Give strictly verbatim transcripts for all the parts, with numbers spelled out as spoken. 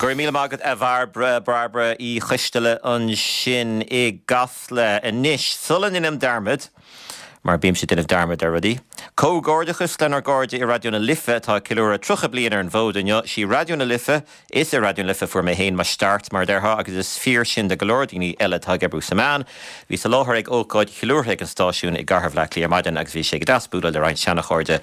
Go raibh míle maith agat a Bhairbre Bairbre Uí Choisteala ansin i gCasla anois sula ndéanaim dearmad, mar bímse ag déanamh dearmad ar rudaí. Comhghairdeachas lenár gcairde i Raidió na Life atá ag ceiliúradh tríocha bliain ar an bhfód inniu sí Raidió na Life is i Raidió na Life fuair mé féin mo start mar a déarfá agus is fíor sin do go leor daoine eile atá ag oibriú sa meán. Bhí sa láthair ag ócáid cheiliúrtha ag an stáisiún i gCathair Bhaile Átha Cliath ar maidin agus bhí sé go deas bualadh le roinnt seanachairde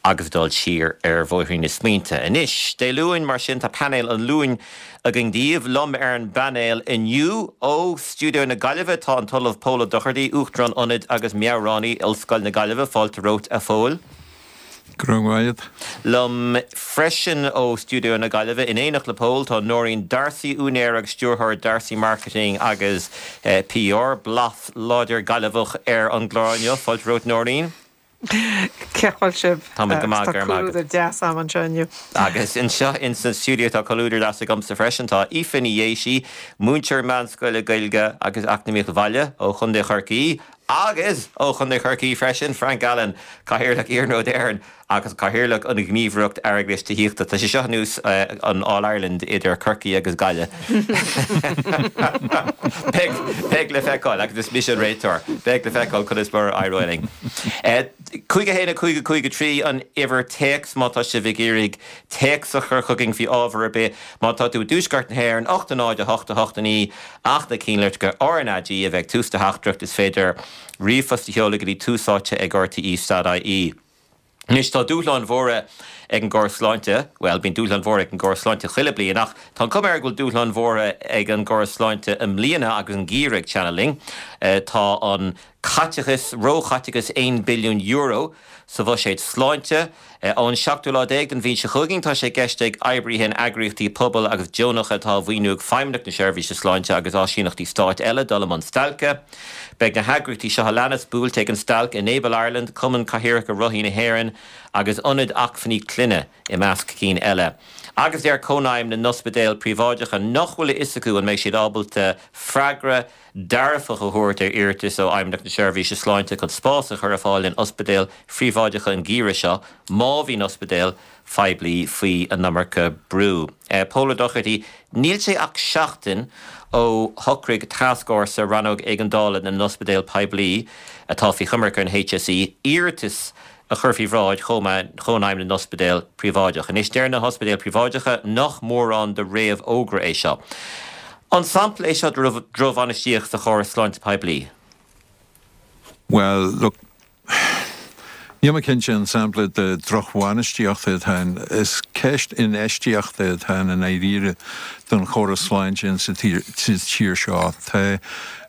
agus dul siar ar bhóithrín na smaointe. Anois, Dé Luain mar sin tá painéal an Luain againn daoibh liom ar an bpainéal inniu ó Stiúideo na Gaillimhe tá an tOllamh Pól Ó Dochartaigh, Uachtarán Ionaid agus Meabhránaí Ollscoil na Gaillimhe fáilte romhat a Phóil. Grmad. Liom freisin ó Stiúideo na Gaillimhe in éineacht le Pól tá Nóirín Darcy úinéir agus stiúrthóir Darcy Marketing agus eh, PR blas láidir Gaillimheach ar an gclár inniu fáilte romhat Nóirín. Cén chaoi a bhfuil sibh Tá go maith go maith deas am anseo inniu. Agus anseo in san stiúideo tá comhluadar deas agamsa freisin tá Aoife Ní Dhéisi, múinteoir meánscoile Gaeilge agus Eacnamaíocht Bhaile ó Chontae Chorcaí, agus ó Chontae Chorcaí freisin Frank Allen Cathaoirleach Iarnród Éireann agus Cathaoirleach an Ghníomhaireacht Airgeadais Tithíochta Tá sé seo ar nós uh, an All Ireland idir Corcaigh agus Gaillimh. Beidh le feiceáil agus is mise an réiteoir, Beidh le feiceáil conas mar a éireoidh linn. Cúig a haon cúig cúig trí an uimhir téacs má tá sibh ag iarraidh téacs a chur chugainn faoi ábhar ar bith má tá tú i dtuaisceart na hÉireann ocht náid a hocht a hocht naoi ach na cinnlitreacha RnaG a bheith tús do theachtaireacht is féidir ríomhphost a sheoladh go dtí Tús Áite ag RTE dot IE. Anois tá dúshláin mhóra ag an gcóras sláinte, well bíonn dúshláin mhóra ag an gcóras sláinte chuile bliain ach tá an chuma air go bhfuil dúshláin mhóra ag an gcóras sláinte i mbliana agus an geimhreadh ag teannadh linn. Uh, tá an caiteachas róchaiteachas aon billiún euro sa bhuiséad sláinte. Ón seachtú lá déag den mhí seo chugainn tá sé i gceist ag oibrithe in eagraíochtaí pobail agus deonacha atá á mhaoiniú ag Feidhmeannacht na Seirbhíse Sláinte agus áisíneachtaí stáit eile dul i mbun stailce. Beidh na heagraíochtaí seo a leanas buailte ag an stailc Enable Ireland, Cumann Cathaoireacha Rothaí na hÉireann agus Ionad Acmhainní Clainne i measc cinn eile. Agus deir Cónaidhm na nOspidéal Príobháideacha nach bhfuil a fhios acu an mbeidh siad ábalta freagra dearfach a thabhairt ar iarratas ó Fheidhmeannacht na Seirbhíse Sláinte chun spás a chur ar fáil in ospidéil phríobháideacha an geimhreadh seo, má bhíonn ospidéil phoiblí faoi an iomarca brú. Uh, Pól Ó Dochartaigh, níl sé ach seachtain ó shocraigh tascfhórsa rannóg éigeandála na n-ospidéal poiblí atá faoi choimirce an HSE iarratas a chur faoi bhráid Chónaidhm na n-ospidéal príobháideach. Anois deir na hospidéil phríobháideacha nach mórán de réamhfhógra é seo. An sampla é seo drochbhainistíocht sa chóras sláinte poiblí. Well, look, Níl mé cinnte an sampla de drochbhainistíocht atá is ceist infheistíochta atá i ndáiríre don chóras sláinte sa tír seo. Tá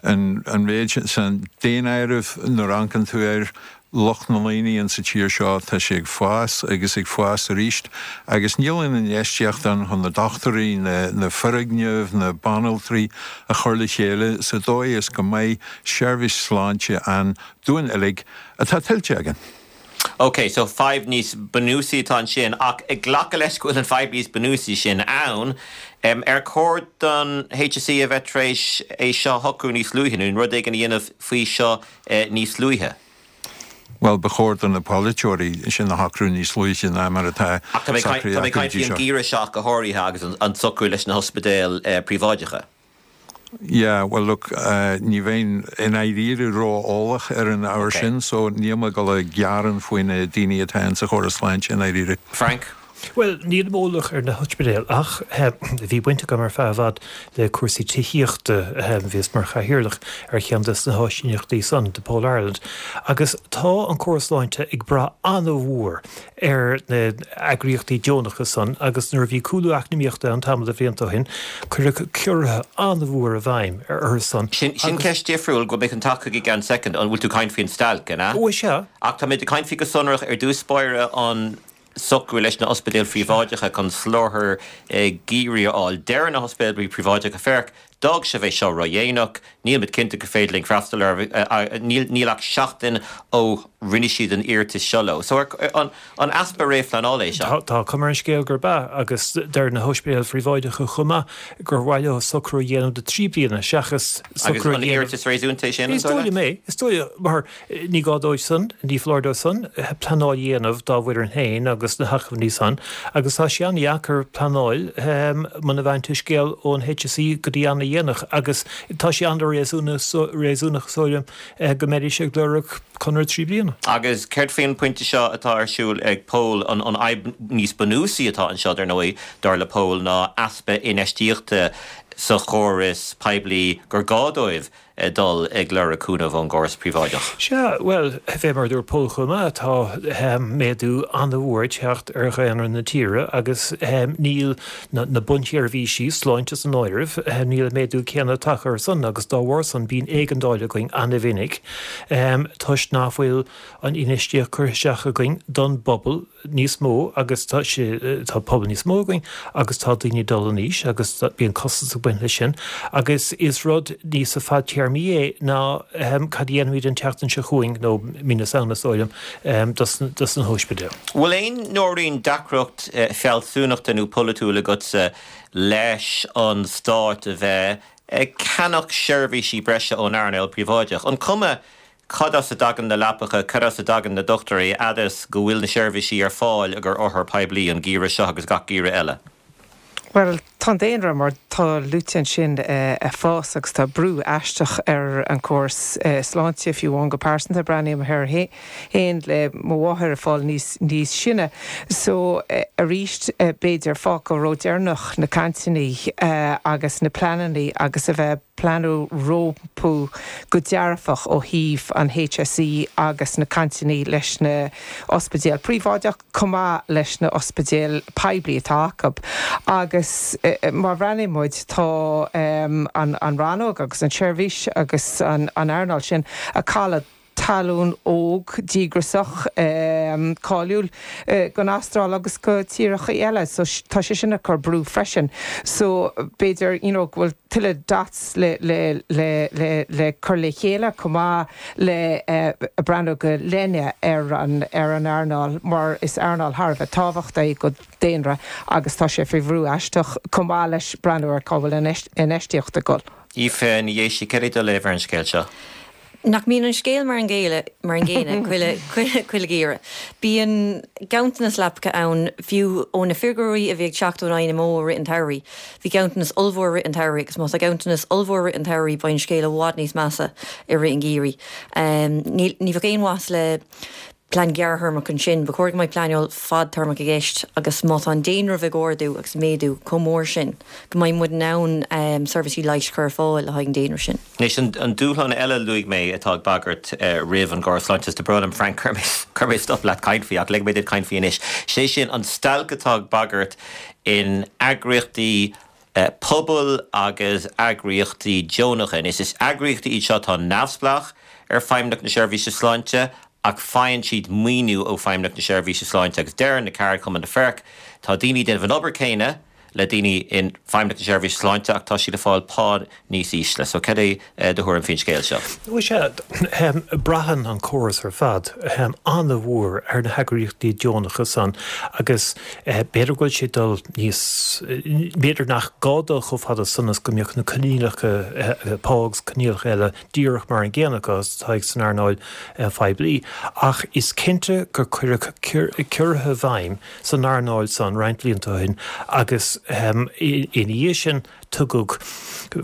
an méid san daonáireamh nuair a amharcann tú ar lucht na ndaoine in sa tír seo tá sé ag fás agus ag fás arís, agus níl an infheistíocht ann chun na dochtúirí na, na foirgnimh na banaltraí a chur le chéile sa dóigh is go mbeidh seirbhís sláinte ann dúinn uilig atá tuillte againn. Ok, so fadhb níos bunúsaí atá ansin ach ag glacadh leis go bhfuil an fadhb níos bunúsaí sin ann, um, ar chóir don HSE a bheith tar éis é seo a shocrú níos luaithe nó rud éigin a dhéanamh faoi seo eh, níos luaithe. Well ba chóir do na polaiteoirí sin a shocrú níos luaithe ná mar atá Ach tá mé ag caint an geimhreadh seo go háirithe agus an socrú leis na hospidéil eh, príobháideacha. Yeah, well look, uh, ní bheinn i ndáiríre ró-eolach ar an ábhar okay. sin, so níl mé ag dul gearán faoi na daoine atá sa chóras sláinte i ndáiríre. Frank? Well, níl eolas ar na hospidéil ach bhí baint agam ar feadh i bhfad le cúrsaí tithíochta bhíos mar chathaoirleach ar cheann de na háisíneachtaí san Depaul Ireland. Agus tá an córas sláinte ag brath an-mhór ar na heagraíochtaí deonacha san agus nuair a bhí cúlú eacnamaíochta an tamall de bhlianta ó shin cuireadh ciorruithe an-mhór i bhfeidhm ar ar san. Sin sin ceist difriúil go mbeidh an taca gan second an bhfuil tú caint faoin stailc an ea? Ó sea. Ach tá mé ag caint faoi go sonrach ar dtús báire an socrú leis na ospidéil phríobháideacha chun soláthar geimhridh a fháil. Deir na hospidéil príobháideacha féach, D'fhág sibh é seo ródhéanach, níl muid cinnte gur féidir linn freastal air, níl ach seachtain ó rinne siad an iarratas seo leo. So an an easpa réamhphleanála é seo? Tá cuma ar an scéal gurb ea, agus deir na hospidéil phríobháideacha chomh maith gur mhaith leo socrú a dhéanamh do trí bliana seachas socrú a dhéanamh. Agus an iarratas réasúnta é sin, an Is dóigh liom é. Is dóigh liom, mar ní gá dóibh san, ní foláir dóibh san pleanáil a dhéanamh dá bhfoireann féin agus na hacmhainní san, agus tá sé an-dheacair pleanáil muna bhfaigheann tú scéal ón HSE go dtí an-dhéanach agus tá sé an-réasúnach is dóigh liom go mbeidís ag lorg conradh trí bliana. Agus céard faoin bpointe seo atá ar siúl ag Pól, an fhadhb níos bunúsaí atá anseo, dar ndóigh, dar le Pól, ná easpa infheistíochta sa chóras poiblí gur gá dóibh dul ag lorg cúnamh ón gcóras príobháideach. Sea, bhuel, fé mar a dúirt Pól chomh maith, tá méadú an-mhór ag teacht ar dhaonra na tíre agus níl na bunsheirbhísí, sláinte san áireamh, níl an méadú céanna tagtha air san agus dá bharr san bíonn éigeandáil againn an-mhinic toisc nach bhfuil an infheistíocht curtha isteach againn don bpobal níos mó agus tá sé, tá pobal níos mó againn agus tá daoine ag dul in aois agus bíonn costas ag baint leis sin agus is rud níos fadtéarmaí é ná cad a dhéanfaimid an tseachtain seo chugainn nó mí na Samhna is dóigh liom dos na hóispidéil. Bhfuil aon, Nóirín, deacracht fealsúnachta nó polaitiúil agatsa leis an stát a bheith ag ceannach seirbhísí breise ón earnáil príobháideach? An cuma cad as a dtagann na leapacha, cad as a dtagann na dochtúirí, fhad is go bhfuil na seirbhísí ar fáil ag ár othair poiblí an geimhreadh seo agus gach geimhreadh eile? Bhuel, tá an daonra mar tá luaite ansin ag fás agus tá brú aisteach ar an córas sláinte, fiú amháin go pearsanta, breathnaím air féin le mo mháthair ag fáil níos níos sine. So arís b'fhéidir fágtha ródheireanach na cainteanna agus na pleananna agus a bheith pleanú rompu go dearfach ó thaobh an HSE agus na cainteanna leis na ospidéil príobháideach chomh maith leis na ospidéil poiblí atá acu. Agus má bhreathnaíonn muid tá an rannóg agus an tseirbhís agus an earnáil sin ag cailleadh talún óg, díograiseach, cáiliúil don Astráil agus go tíortha eile. So tá sé sin ag cur brú freisin. So b'fhéidir you know go bhfuil tuilleadh dots le le le le le cur le chéile chomh maith le breathnú go leithne ar an ar an earnáil mar is earnáil thar a bheith tábhachtach é go daonra agus tá sé faoi bhrú aisteach chomh maith leis breathnú ar cá bhfuil an infheistíocht ag dul. Aoife Ní Dhéisigh, céard é do léamh ar an scéal seo? Nach mbíonn an scéal mar an gcéile, mar an gcéanna chuile, chuile gheimhreadh. Bíonn ganntanas leapacha ann, fiú ó na figiúirí a bhí ag teacht ón INMO i rith an tsamhraidh. Bhí ganntanas ollmhór i rith an tsamhraidh agus má tá ganntanas ollmhór i rith an tsamhraidh beidh an scéal i bhfad níos measa i rith an gheimhridh. Ní, ní bheadh aon mhaitheas le plean gearrthéarmach ansin, ba chóir go mbeadh pleanáil fadtéarmach i gceist agus má tá an daonra ag ardú agus méadú chomh mór sin, go mbeidh muid in ann seirbhísí leighis a chur ar fáil le haghaidh an daonra sin. Anois, an dúshlán eile a luaigh mé atá ag bagairt roimh an gcóras sláinte, is tá brón orm Frank, chuir mé stop leat caint faoi ach ligfidh mé duit caint faoi anois, sé sin an stailc atá ag bagairt in eagraíochtaí pobail agus eagraíochtaí deonacha. Anois, is eagraíochtaí iad seo atá neamhspleách ar Feidhmeannacht na Seirbhíse Sláinte ach faigheann siad maoiniú ó Feidhmeannacht na Seirbhíse Sláinte agus deireann na ceardchumainn na FERC, tá daoine ag déanamh an obair céanna le daoine in Feidhmeannacht na Seirbhíse Sláinte ach tá siad ag fáil pá níos ísle. So cad é do thuairim faoin scéal seo? Bhuel sea, braitheann an córas ar fad an-mhór ar na heagraíochtaí deonacha san agus b'fhéidir go bhfuil sé ag dul níos, b'fhéidir nach gá dul chomh fada san is go mbeadh na coinníollacha pá agus coinníollacha eile díreach mar an gcéanna acu is atá san earnáil phoiblí, ach is cinnte gur cuireadh ciorruithe i bhfeidhm san earnáil san roinnt blianta ó shin agus ina dhiaidh sin tugadh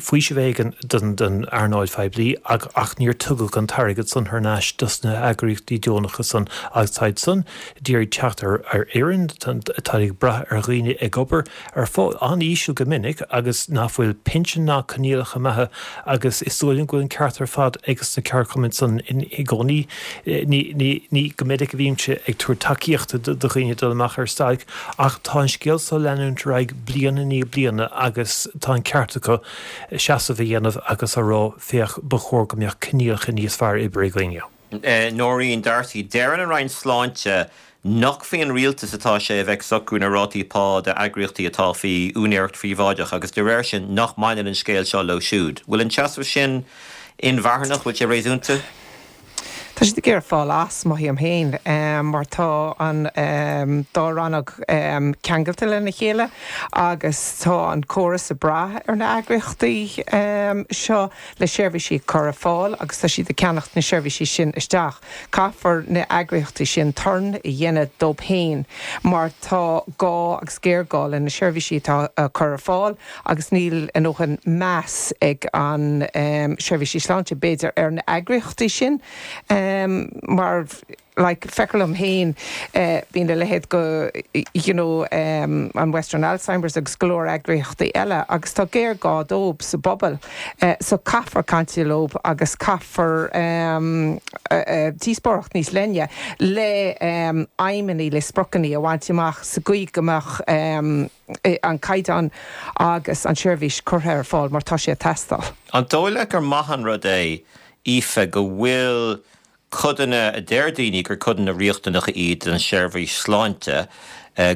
faoiseamh éigin don earnáil phoiblí ach níor tugadh an t-airgead san thar n-ais dos na heagraíochtaí deonacha san agus táid san d'iarraidh teacht ar fhoireann, táid ag brath ar dhaoine ag obair ar phá an-íseal go minic agus nach bhfuil pinsean ná coinníollacha maithe agus is dóigh liom go bhfuil an ceart ar fad ages na ceardchumainn san i gcónaí. Ní go minic a bhímse ag tabhairt tacaíochta do dhaoine dul amach ar stailc ach tá an scéal seo ag leanúint ar aghaidh bliain i ndiaidh bliana agus tá an ceart acu seasamh a dhéanamh agus a rá féach ba chóir go mbeadh coinníollacha níos fearr oibre againne. Nóirín D'Arcy, Deireann an Roinn Sláinte nach faoin rialtas atá sé a bheith ag socrú na rátaí pá d'eagraíochtaí atá faoi úinéireacht phríobháideach agus de réir sin nach mbaineann an scéal seo leo siúd. Bhfuil an seasamh sin inmharthanach, bhfuil sé réasúnta? Tá siad ag iarraidh fáil as, mothaím féin, mar tá an dá rannóg ceangailte lena chéile agus tá an córas ag brath ar na heagraíochtaí seo le seirbhísí a chur ar fáil agus tá siad ag ceannacht na seirbhísí sin isteach. Caithfear na heagraíochtaí sin turn a dhéanamh dóibh féin mar tá gá agus géarghá le na seirbhísí atá á cur ar fáil agus níl a ndóthain meas ag an seirbhísí sláinte b'fhéidir ar na heagraíochtaí sin. Mar like feictear liom féin bíonn a leithéid go you know an Western Alzheimer's agus go leor eagraíochtaí eile agus tá géarghá dóibh sa bpobal so caithfear caint leo agus caithfear díospóireacht níos leithne le aidhmeanna le spriocanna a bhaint amach sa gcaoi go mbeadh an caighdeán agus an seirbhís curtha ar fáil mar tá sé ag teastáil. An dóigh leat gur maith an rud é, Aoife, go bhfuil codanna a deir daoine gur codanna riachtanacha iad den seirbhís sláinte,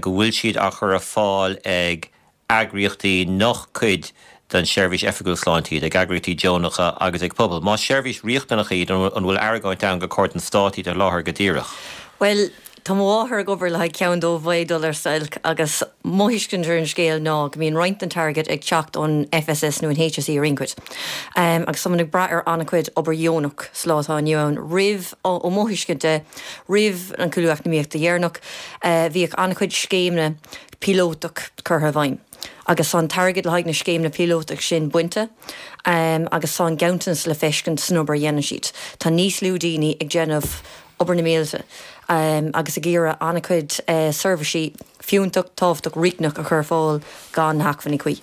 go bhfuil siad á chur ar fáil ag eagraíochtaí nach cuid den tseirbhís oifigiúil sláinte iad, ag eagraíochtaí deonacha agus ag pobail. Más seirbhís riachtanach iad, an bhfuil argóint ann gur chóir don stát iad a sholáthar go díreach? Bhuel, tá mo mháthair ag obair le haghaidh ceann dóibh ag dul ar stailc agus mo thuiscint ar an scéal ná go mbíonn roinnt den t-airgead ag teacht ón FSS nó an HSE ar aon chuid. Agus tá muid ag brath ar an-chuid obair dheonach sa lá atá inniu ann. Roimh, ó mo thuiscint de, roimh an cúlú eacnamaíochta dheireanach, bhíodh an-chuid scéimeanna píolótach curtha i bhfeidhm. Agus tá an t-airgead le haghaidh na scéimeanna píolótach sin bainte agus tá an ganntanas le feiscint san obair a dhéanann siad. Tá níos lú daoine ag déanamh obair na mílte agus ag iarraidh an-chuid seirbhísí fiúntach, tábhachtach, riachtanach a chur ar fáil gan na hacmhainní cuí.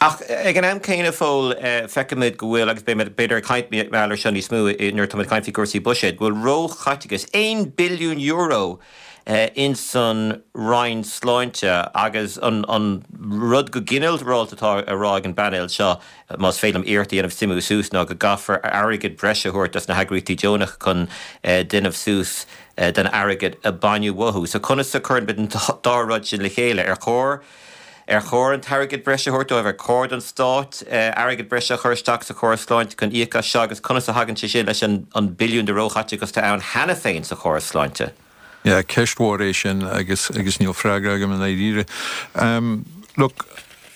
Ach ag an am céanna, Phóil, feicimid go bhfuil, agus beimid b'fhéidir ag caint mar gheall air seo níos mó nuair atáimid ag caint faoi chúrsaí buiséid, go bhfuil róchaiteachas, aon billiún euro, ins an Roinn Sláinte agus an an rud go ginearálta atá á rá ag an bpainéal seo, más féidir liom iarracht a dhéanamh suimiú suas, ná go gcaithfear airgead breise a thabhairt dos na heagraíochtaí deonacha chun déanamh suas den airgead a baineadh uathu. So conas a chuireann muid an dá rud sin le chéile? Ar chóir ar chóir an t-airgead breise a thabhairt dóibh? Ar chóir don Stát airgead breise a chur isteach sa chóras sláinte chun íoc as seo agus conas a thagann sé sin leis an an billiún de róchaiteachas atá ann cheana féin sa chóras sláinte? Yeah, ceist mhór é sin agus agus níl freagra agam i ndáiríre. Um, look,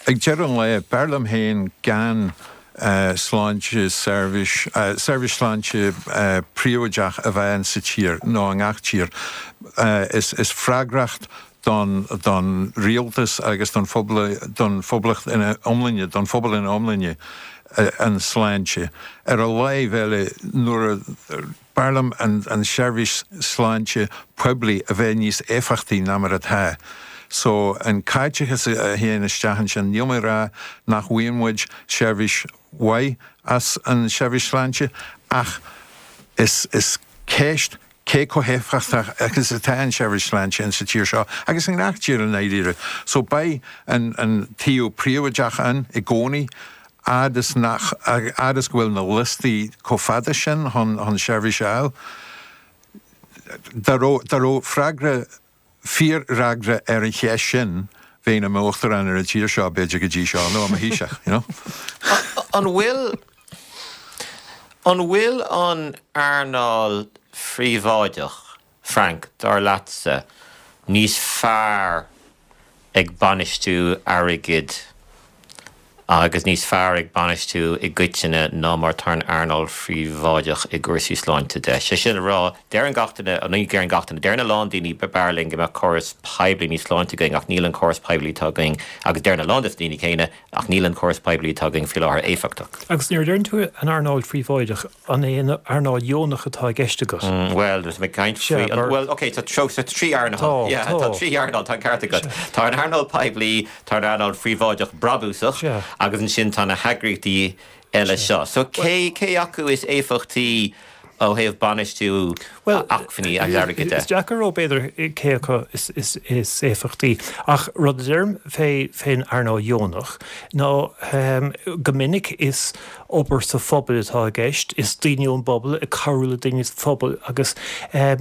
ag deireadh an lae, b'fhearr liom féin gan uh, sláinte seirbhís, uh, seirbhís sláinte uh, príobháideach a bheith ann sa tír nó i ngach tír. Uh, is, is freagracht don, don rialtas agus don phobal, don phoblacht ina iomláine, don phobal ina iomláine uh, an sláinte. Ar an láimh eile nuair a B'fhearr liom an seirbhís sláinte poiblí a bheith níos éifeachtaí ná mar atá. So, an caiteachas a théann isteach ansin, níl mé ag rá nach bhfaigheann muid seirbhís mhaith as an seirbhís sláinte ach is is ceist cé chomh héifeachtach agus atá an seirbhís sláinte in sa tír seo agus i ngach tír i ndáiríre. So beidh an an taobh príobháideach ann i gcónaí fhad is nach, fhad is go bhfuil na liostaí chomh fada sin chun chun seirbhís a fháil, dá raibh, dá raibh freagra, fíorfhreagra ar an cheist sin, bheinn i m'uachtarán ar an tír seo b'fhéidir go dtí seo, nó i mo Thaoiseach, you know. An bhfuil, an bhfuil an earnáil phríobháideach, Frank, dar leatsa, níos fearr ag bainistiú airgid agus níos fearr ag bainistiú i gcoitinne ná mar atá an earnáil phríobháideach i gcúrsaí sláinte de. Sé sin le rá, deireann gach duine, ní deireann gach duine, deireann a lán daoine b'fhearr linn go mbeadh córas poiblí níos sláinte againn ach níl an córas poiblí atá againn agus deireann a lán des na daoine céanna ach níl an córas poiblí atá againn faoi láthair éifeachtach. Agus nuair a deireann tú an earnáil phríobháideach, an é an earnáil dheonach atá i gceist agat? Bhuel, tá mé ag caint faoi, bhuel, ok, tá trí earnáil, yeah, tá trí earnáil, tá an ceart agat. Tá an earnáil poiblí, tá an earnáil phríobháideach brabúsach agus ansin tá na heagraíochtaí eile seo. So cé, cé acu is éifeachtaí ó thaobh bainistiú acmhainní agus airgid de? Is deacair a rá b'fhéidir cé acu is is éifeachtaí ach rud a deirim fé fén earnáil dheonach ná go minic is obair sa phobal atá i gceist, is daoine ón bpobal ag cabhrú le daoine sa phobal agus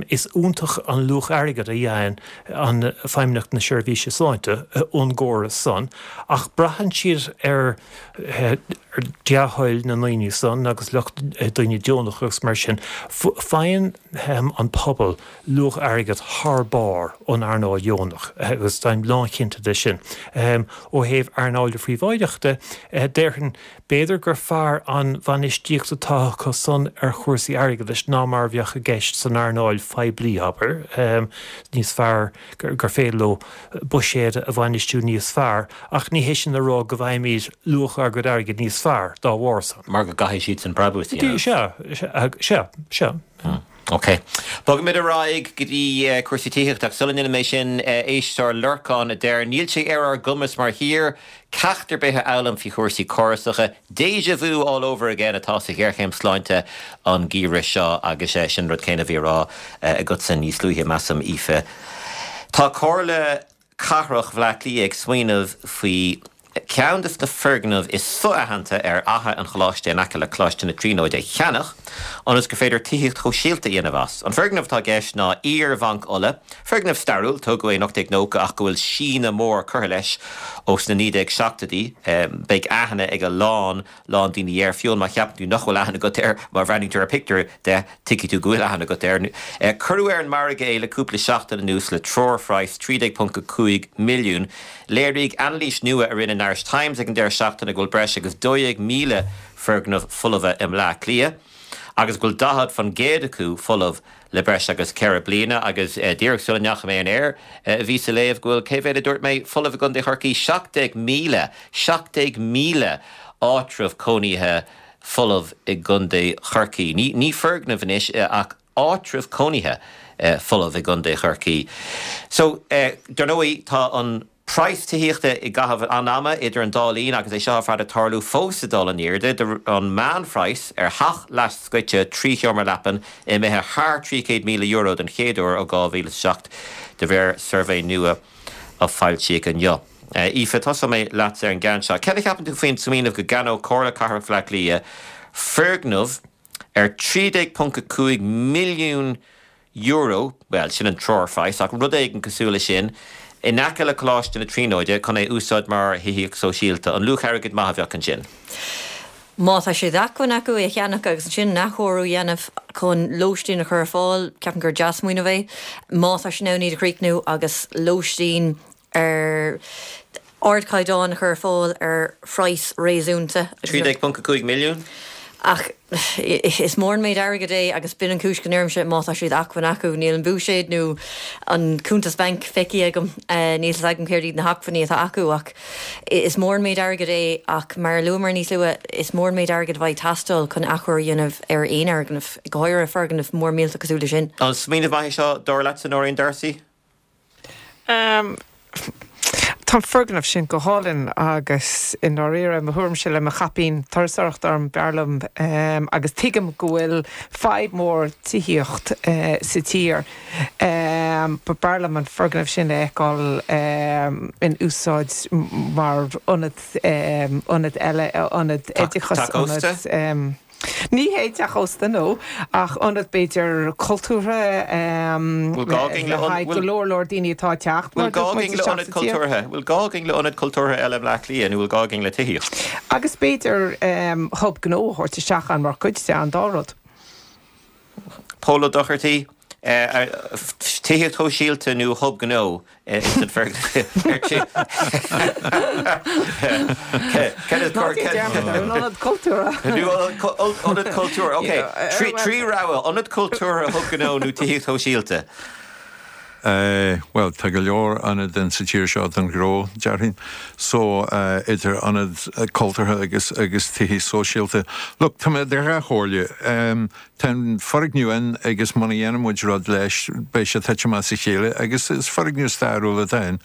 is iontach an luach airgid a fhaigheann an Feidhmeannacht na Seirbhíse Sláinte ón gcóras san ach braitheann siad ar dea-thoil na ndaoine san agus lucht daoine deonacha agus mar sin. Faigheann an pobal luach airgid thar barr ón earnáil dheonach agus táim lánchinnte de sin. Ó thaobh earnáil phríobháideach de, déarfainn b'fhéidir gur fearr an bhainistíocht atá acu san ar chúrsaí airgeadais ná mar a bheadh i gceist san earnáil phoiblí, abair, níos fearr, gur féidir leo buiséad a bhainistiú níos fearr, ach ní hé sin le rá go bhfaighimid luach ár gcuid airgid níos fearr dá bharr san. Mar go gcaithfidh siadsan brabús a dhéanamh. Sea, sea, sea. Ok. Bogfaimid ar aghaidh go dtí cúrsaí tithíochta ach sula ndéanfaidh mé sin, éisteoir Lorcán a deir, Níl sé ar ár gcumas mar thír ceacht ar bith a fhoghlaim faoi chúrsaí córasacha. Déjà vu all over again atá sa ghéarchéim sláinte an geimhreadh seo agus sin an rud céanna a bhí á rá agatsa níos luaithe, measaim, Aoife. Tá Comhairle Cathrach Bhaile Átha Cliath ag smaoineamh faoi ceann de na foirgnimh is so-aitheanta ar Fhaiche an Choláiste in aice le Coláiste na Tríonóide a cheannach ionas gur féidir tithíocht shóisialta a dhéanamh as. An foirgneamh atá i gceist ná iar-Bhanc Uladh, foirgneamh stairiúil, tógadh é in ocht déag nócha ach go bhfuil síneadh mór curtha leis ó sna naoi déag seachtóidí. Beidh aithne ag a lán, lán daoine air, fiú má cheapann tú nach bhfuil aithne agat air, má bhreathnaíonn tú ar phictiúr de, tuigfidh tú go bhfuil aithne agat air. Cuireadh ar an margadh é le cúpla seachtain anuas le treoirphraghas trí déag ponc a cúig milliún. Léirigh anailís nua a rinne an Irish Times ag an deireadh seachtaine go bhfuil breis agus dó dhéag míle foirgneamh folmha i mBleá Cliath agus go bhfuil daichead faoin gcéad acu folamh le breis agus ceithre bliana agus díreach sula ndeachaigh mé ar an aer bhíos ag léamh go bhfuil, cé mhéad a dúirt mé, folamh i gContae Chorcaí, seacht déag míle, seacht déag míle áitreabh cónaithe folamh i gContae Chorcaí. Ní, ní foirgneamh anois ach áitreabh cónaithe folamh i gContae Chorcaí. So, dar ndóigh, tá an praghas tithíochta i gcaitheamh an ama idir an dá linn agus é seo ar fad ag tarlú fós ag dul in airde. An meánphraghas ar theach leathscoite trí sheomra leapan imithe thar trí chéad míle euro den chéad uair ó dhá mhíle is a seacht de réir suirbhé nua a foilsíodh inniu. Aoife, tosóidh mé leatsa ar an gceann seo. Céard a cheapann tú faoin smaoineamh go gceannódh Comhairle Cathrach Bhaile Átha Cliath foirgneamh ar trí déag ponc a cúig milliún euro, bhuel, sin an treoirphraghas, ach rud éigin cosúil leis sin, in aice le Coláiste na Tríonóide chun é a úsáid mar thithíocht sóisialta. An luach airgid maith a bheadh ansin? Má tá sé d'acmhainn acu é a cheannach agus ansin an athchóiriú a dhéanamh chun lóistín a chur ar fáil, ceapaim gur dea-smaoineamh é. Má tá siad in ann iad a chríochnú agus lóistín ar ardchaighdeán a chur ar fáil ar phraghas réasúnta. trí déag ponc a cúig milliún? Ach is mór an méid airgid é agus b'in an chúis go ndeirimse má tá sé d'acmhainn acu. Níl an buiséad nó an cuntas bainc feicthe agam, níl fhios agam céard iad na hacmhainní atá acu ach is mór an méid airgid é ach mar a luamar níos luaithe, is mór an méid airgid a bheidh ag teastáil chun athchóiriú a dhéanamh ar aon fhoirgneamh, go háirithe foirgneamh mór millteach cosúil leis sin. An smaoineamh maith é seo, dar leatsa, Nóirín D'Arcy? Tá an foirgneamh sin go hálainn agus i ndáiríre, mo thuairimse le mo chaipín turasóireachta orm, b'fhearr liom agus tuigim go bhfuil fadhb mhór tithíocht sa tír, but b'fhearr liom an foirgneamh sin a fheiceáil in úsáid mar ionad, ionad eile, ionad oideachais, ionad. Ní hé teach ósta, no, ach ionad b'fhéidir cultúrtha le haghaidh go leor leor daoine atá ag teacht. Bhfuil gá againn le ionad cultúrtha? Bhfuil gá againn le ionad cultúrtha eile i mBleá Cliath nó bhfuil gá againn le tithíocht? Agus b'fhéidir hub gnó a thabhairt isteach ann mar chuid de, an dá rud. Pól Ó Dochartaigh, Tithíocht shóisialta nó hub gnó ins an Ionad cultúrtha. Ionad cultúrtha, ok. Trí rogha, ionad cultúrtha, hub gnó nó tithíocht shóisialta? Bhuel, tá go leor ionad in sa tír seo don ghnó, déarfainn. So, idir ionad cultúrtha agus agus tithí sóisialta. Look, tá mé idir dhá chomhairle. Tá an foirgneamh ann agus muna dhéanann muid rud leis, beidh sé ag titim as a chéile agus is foirgneamh stairiúil atá ann.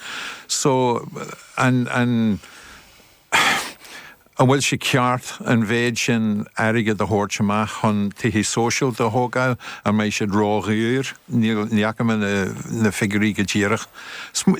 So, an, an, An bhfuil sé ceart an mhéid sin airgead a thabhairt amach chun tithe sóisialta a thógáil? An mbeidh siad ródhaor? Níl, ní fhaca mé na, na figiúirí go díreach.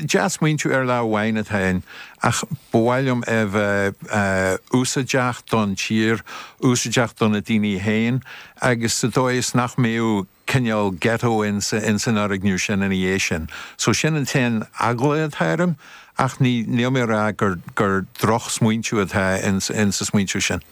Dea-smaointiú ar lá amháin atá ann, ach ba mhaith liom é bheith úsáideach don tír, úsáideach do na daoine féin, agus sa dóigh is nach mbeadh cineál ghetto ins ins an fhoirgneamh sin ina dhiaidh sin. So sin an t-aon eagla atá orm, ach ní níl mé ag rá gur gur drochsmaointiú atá ins insa smaointiú sin.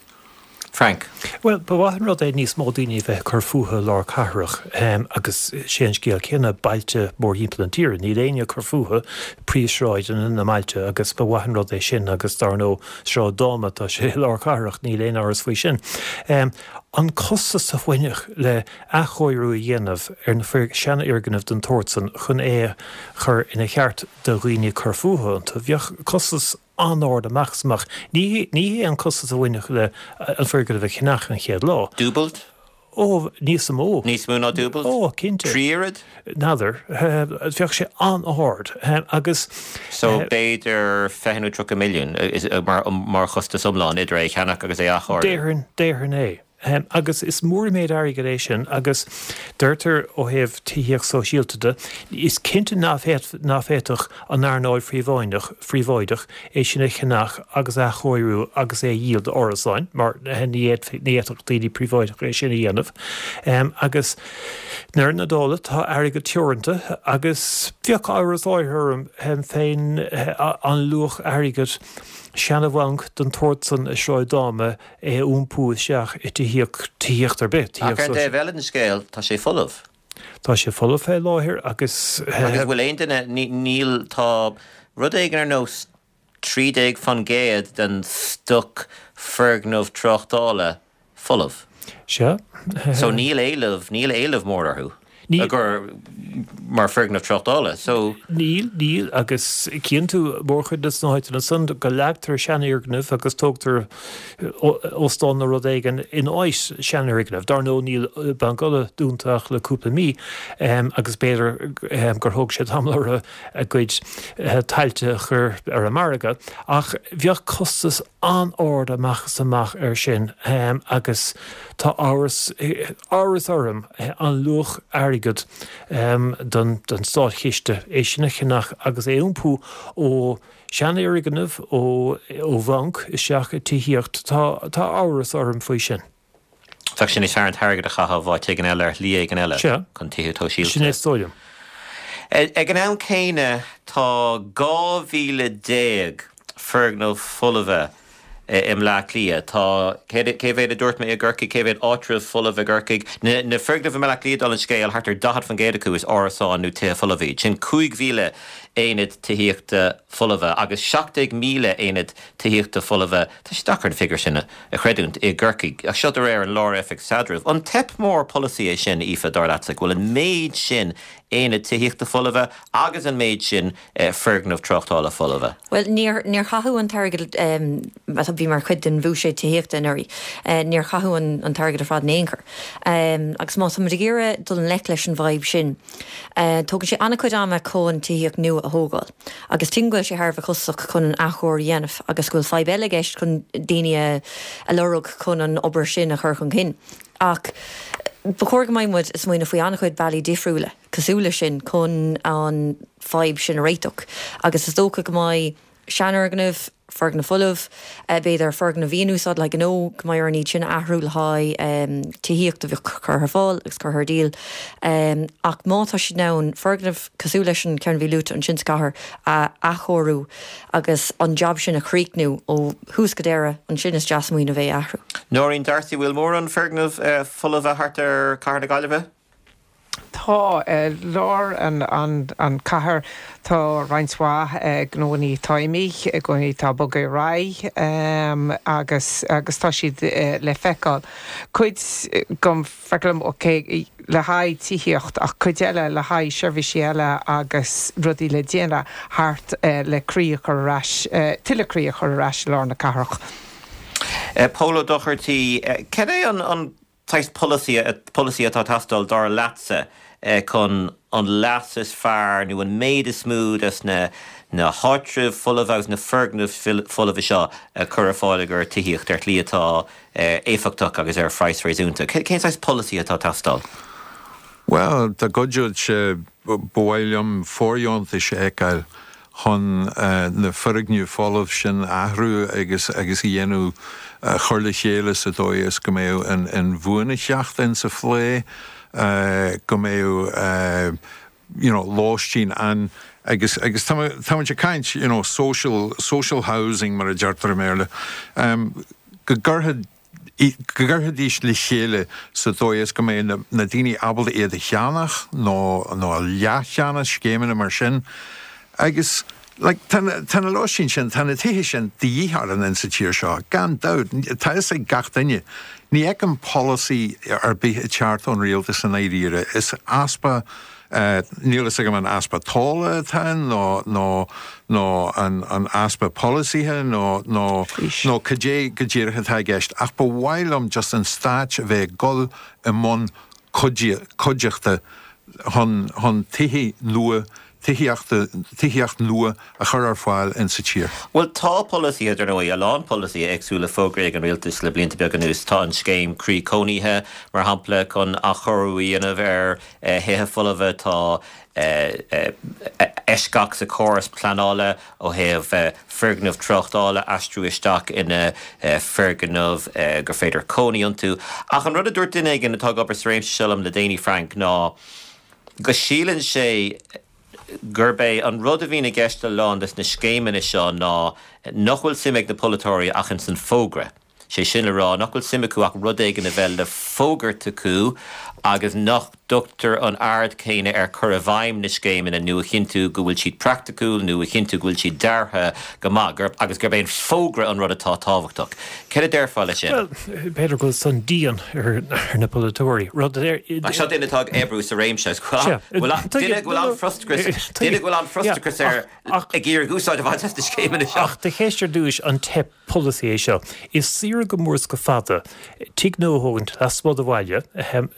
Frank. Bhuel, ba mhaith an rud é níos mó daoine a bheith ag cur fúthu i lár cathrach agus sé an scéal céanna bailte mórthimpeall an tíre. Níl éinne ag cur fúthu príomhshráideanna na mbailte agus ba mhaith an rud é sin agus dar ndóigh Sráid Dáma tá sé i lár cathrach, níl aon amhras faoi sin. An costas a bhainfeadh le athchóiriú a dhéanamh ar na seanfhoirgnimh den tsórt san chun é a chur ina cheart do dhaoine cur fúthu iontu, bheadh costas an-ard amach is amach. Ní ní hé an costas a bhainfeadh le an foirgneamh a cheannach an chéad lá. Dúbailt? Ó, níos mó. Níos mó ná dúbailt? Ó, cinnte. Trí oiread? N'fheadar. Bheadh sé an-ard agus. So b'fhéidir fiche nó tríocha milliún mar mar chostas iomlán idir é a cheannach agus é a athchóiriú? Déarfainn, déarfainn é. Agus is mór an méid airgid é sin agus deirtear ó thaobh tithíocht sóisialta de, is cinnte nach bhféadfadh an earnáil phríobháideach phríobháideach é sin a cheannach agus a athchóiriú agus é a dhíol d'árasáin mar ní fhéadfadh daoine príobháideacha é sin a dhéanamh. Agus i ndeireadh na dála tá airgead teoranta agus bheadh amhras áirithe orm fén an luach airgid seana-bhanc den tsórt san i Sráid Dáma é a iompú isteach i tithíocht, tithíocht ar bith, Ach ar an dtaobh eile den scéal, tá sé folamh. Tá sé folamh fé láthair agus. Agus bhfuil aon duine, níl, tá rud éigin ar nós trí déag faoin gcéad den stoc foirgneamh tráchtála folamh. Sea. So níl éileamh, níl éileamh mór orthu. Níl. gur mar foirgneamh tráchtála. So. Níl, níl, agus cíonn tú mórchuid de na háiteanna san go leagtar seanfhoirgnimh agus tógtar óstán nó rud éigin in áit seanfhoirgnimh. Dar ndóigh níl Banc Uladh dúnta ach le cúpla mí agus b'fhéidir gur thóg sé tamall orthu a gcuid tailte a chur ar an margadh ach bheadh costas an-ard amach is amach air sin agus tá amhras, amhras orm an luach airgid don don státchiste é sin a cheannach agus é a iompú ó sheanfhoirgneamh, ó ó bhanc isteach i tithíocht, tá tá amhras orm faoi sin. Bheadh sé níos fearr an t-airgead a chaitheamh áit éigin eile ar shlí éigin eile Sea. chun tithe sóisialta. Sin é is dóigh liom. Ag an am céanna tá dhá mhíle déag foirgneamh folmha i mBleá Cliath. Tá, cé mhéad a dúirt mé i gCorcaigh, cé mhéad áitreabh folamh i gCorcaigh? Na na foirgnimh i mBleá Cliath, dála an scéil, thart ar daichead faoin gcéad acu is árasáin nó tithe folmha iad. Sin cúig mhíle aonad tithíochta folmha agus seacht déag míle aonad tithíochta folmha, tá sé deacair an figiúr sin a chreidiúint, i gCorcaigh. Ach seo de réir an Lár-Oifig Staidrimh. An teip mór polasaí é sin, Aoife, dar leatsa, go bhfuil an méid sin aonad tithíochta folmha agus an méid sin foirgneamh tráchtála folmha? Bhuel, níor, níor chaitheadh an t-airgead a bhí mar chuid den bhuiséad tithíochta anuraidh, níor chaitheadh an, an t-airgead ar fad in aon chor. Agus má táimid ag iarraidh dul i ngleic leis an bhfadhb sin, tógann sé an-chuid ama chun tithíocht nua a thógáil. Agus tuigim go bhfuil sé thar a bheith costasach chun an athchóiriú a dhéanamh agus go bhfuil fadhb eile i gceist chun daoine a, a lorg chun an obair sin a chur chun cinn. Ach ba chóir go mbeidh muid ag smaoineamh faoi an-chuid bealaí difriúla cosúil leis sin chun an fadhb sin a réiteach. Agus is dócha go mbeidh seanfhoirgnimh, foirgneamh folamh, b'fhéidir foirgnimh a bhí in úsáid le gnó, go mbeidh orainn iad sin a athrú le haghaidh tithíocht a bheadh curtha ar fáil agus curtha ar díol. Ach má tá siad in ann foirgneamh cosúil leis an ceann a bhí luaite ansin sa chathair a athchóiriú agus an jab sin a chríochnú ó thús go deireadh, ansin is dea-smaoineamh é a athrú. Nóirín D'Arcy, bhfuil mórán foirgneamh folmha thart ar Chathair na Gaillimhe? Tá, lár an an cathair tá roinnt mhaith gnónnaí atá imithe, gnónnaí atá ag bogadh ar aghaidh agus agus tá siad le feiceáil. Cuid go feicim ok le haghaidh tithíocht ach cuid eile le haghaidh seirbhísí eile agus rudaí le déanamh thart le croí a chur ar ais, tuilleadh croí a chur ar ais i lár na cathrach. Pól Ó Dochartaigh, cad é an an saghas polasaí polasaí atá ag teastáil dar leatsa chun an leas is fearr nó an méid is mó des na na háitribh folamh agus na foirgnimh folamha seo a chur ar fáil i gcomhair tithíocht ar shlí atá éifeachtach agus ar phraghas réasúnta. Cén saghas polasaí atá ag teastáil? Bhuel, dá gcuideodh sé, ba mhaith liom fóirdheontais a fheiceáil chun na foirgnimh folamh sin a athrú agus agus a dhéanamh, a chur le chéile sa dóigh is go mbeadh an inbhuanaitheacht insa phlé, go mbeadh you know lóistín ann agus agus tá tá muid ag caint you know social social housing mar a deirtear i mBéarla go gcuirfidh go gcuirfidís le chéile sa dóigh is go mbeidh na na daoine ábalta iad a cheannach nó nó a leathcheannach, scéimeanna mar sin agus like tá na tá na lóistín sin, tá na tithe sin de dhíth orainn insa tír seo, gan dabht, tá fhios ag gach duine. Ní fheicim polasaí ar bith ag teacht ón rialtas i ndáiríre. Is easpa Níl fhios agam an easpa tola atá ann nó nó nó an an easpa polasaithe nó nó nó cad é go díreach atá i gceist ach ba mhaith liom just an stáit a bheith ag dul i mbun cuideachta chun chun tithe nua tithíochta tithíocht nua a chur ar fáil in sa tír. Bhuel tá polasaithe dar ndóigh, a lán polasaithe éagsúla fógraithe ag an rialtas le blianta beaga anuas. Tá an scéim Croí Cónaithe, mar shampla, chun athchóiriú a dhéanamh ar thithe folmha, tá eisceacht sa chóras pleanála ó thaobh foirgnimh tráchtála a aistriú isteach ina foirgnimh gur féidir cónaí iontu. Ach an rud a dúirt duine éigin atá ag obair sa réimse seo liom le déanaí, Frank, ná go síleann sé gurb é an rud a bhíonn i gceist le a lán des na scéimeanna seo ná nach bhfuil suim ag na polaiteoirí ach ins an fógra. Sé sin le rá, nach bhfuil suim acu ach rud éigin a bheith le fógairt acu agus nach dtugtar an aird chéanna ar chur i bhfeidhm na scéimeanna nó a chinntiú go bhfuil siad praiticiúil nó a chinntiú go bhfuil siad deartha go maith, gurb, agus gurb é an fógra an rud atá tábhachtach. Céard a déarfá leis sin? Bhuel, b'fhéidir go bhfuil san dian ar na polaiteoirí. Rud a deir. Ach seo duine atá ag oibriú sa réimse agus go bhfuil, duine go bhfuil an-fhrustrachas, duine go bhfuil an-fhrustrachas air ag iarraidh úsáid a bhaint as na scéimeanna seo. Ach do cheist ar dtúis, an teip polasaí é seo? Is saoire go mór is go fada tigh nua a thógaint lasmuigh de bhaile,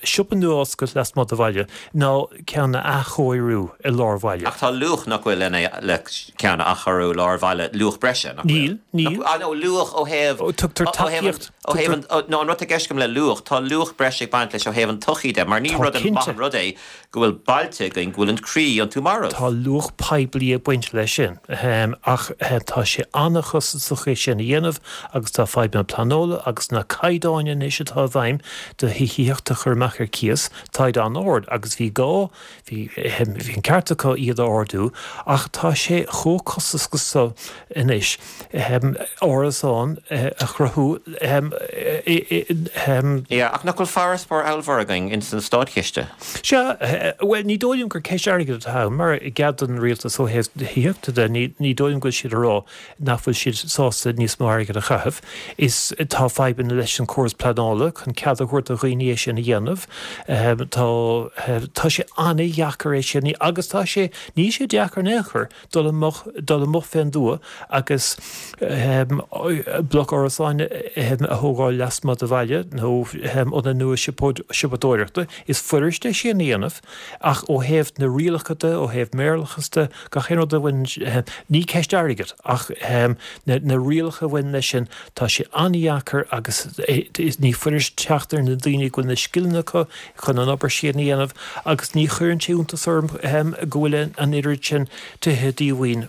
siopa nua a oscailt lasmuigh de bhaile, ná ceann a athchóiriú i lár bhaile. Ach tá luach nach bhfuil lena le ceann a athchóiriú i lár bhaile, luach breise, nach bhfuil? Níl, níl. Ah no, luach ó thaobh, Tugtar ó thaobh an, tacaíocht, ó thaobh tugtar. an, nó an rud atá i gceist agam le luach, tá luach breise ag baint leis ó thaobh an tsochaí de, mar ní Tá, rud maith cinnte. an rud é go bhfuil bailte againn go bhfuil an croí iontu marbh. Tá luach poiblí ag baint leis sin, ach tá sé an-chostasach é sin a dhéanamh agus tá fadhbanna pleanála agus na caighdeáin anois atá i bhfeidhm do thithíocht a chur amach ar cíos, táid an-ard agus bhí gá, bhí, bhí an ceart acu iad a ardú ach tá sé chomh costasach so anois árasán a chruthú i. Yeah, ach nach bhfuil farasbarr ollmhór againn ins an státchiste? Sea, bhuel, ní dóigh liom gur ceist airgid atá ann, mar i gcead don rialtas ó thaobh tithíochta de, ní, ní dóigh liom go bhfuil siad ag rá nach bhfuil siad sásta níos mó airgid a chaitheamh. Is, tá fadhbanna leis an córas pleanála chun cead a thabhairt do dhaoine é sin a dhéanamh. Tá, tá sé an-dheacair é sin, agus tá sé, níl sé deacair in aon chor dul amach, dul amuigh fén dtuath agus bloc árasáin a thógáil lasmuigh de bhaile nó ionad nua siopadóireachta. Is fuirist é sin a dhéanamh ach ó thaobh na rialacha de, ó thaobh maorlathas de, gach aon rud a bhaineann, ní ceist airgid ach na rialacha a bhaineann leis sin, tá sé an-dheacair agus ní fuirist teacht ar na daoine go bhfuil na scileanna acu chun an obair sin a dhéanamh agus ní chuireann sé iontas orm go bhfuil an oiread sin tithe díomhaoin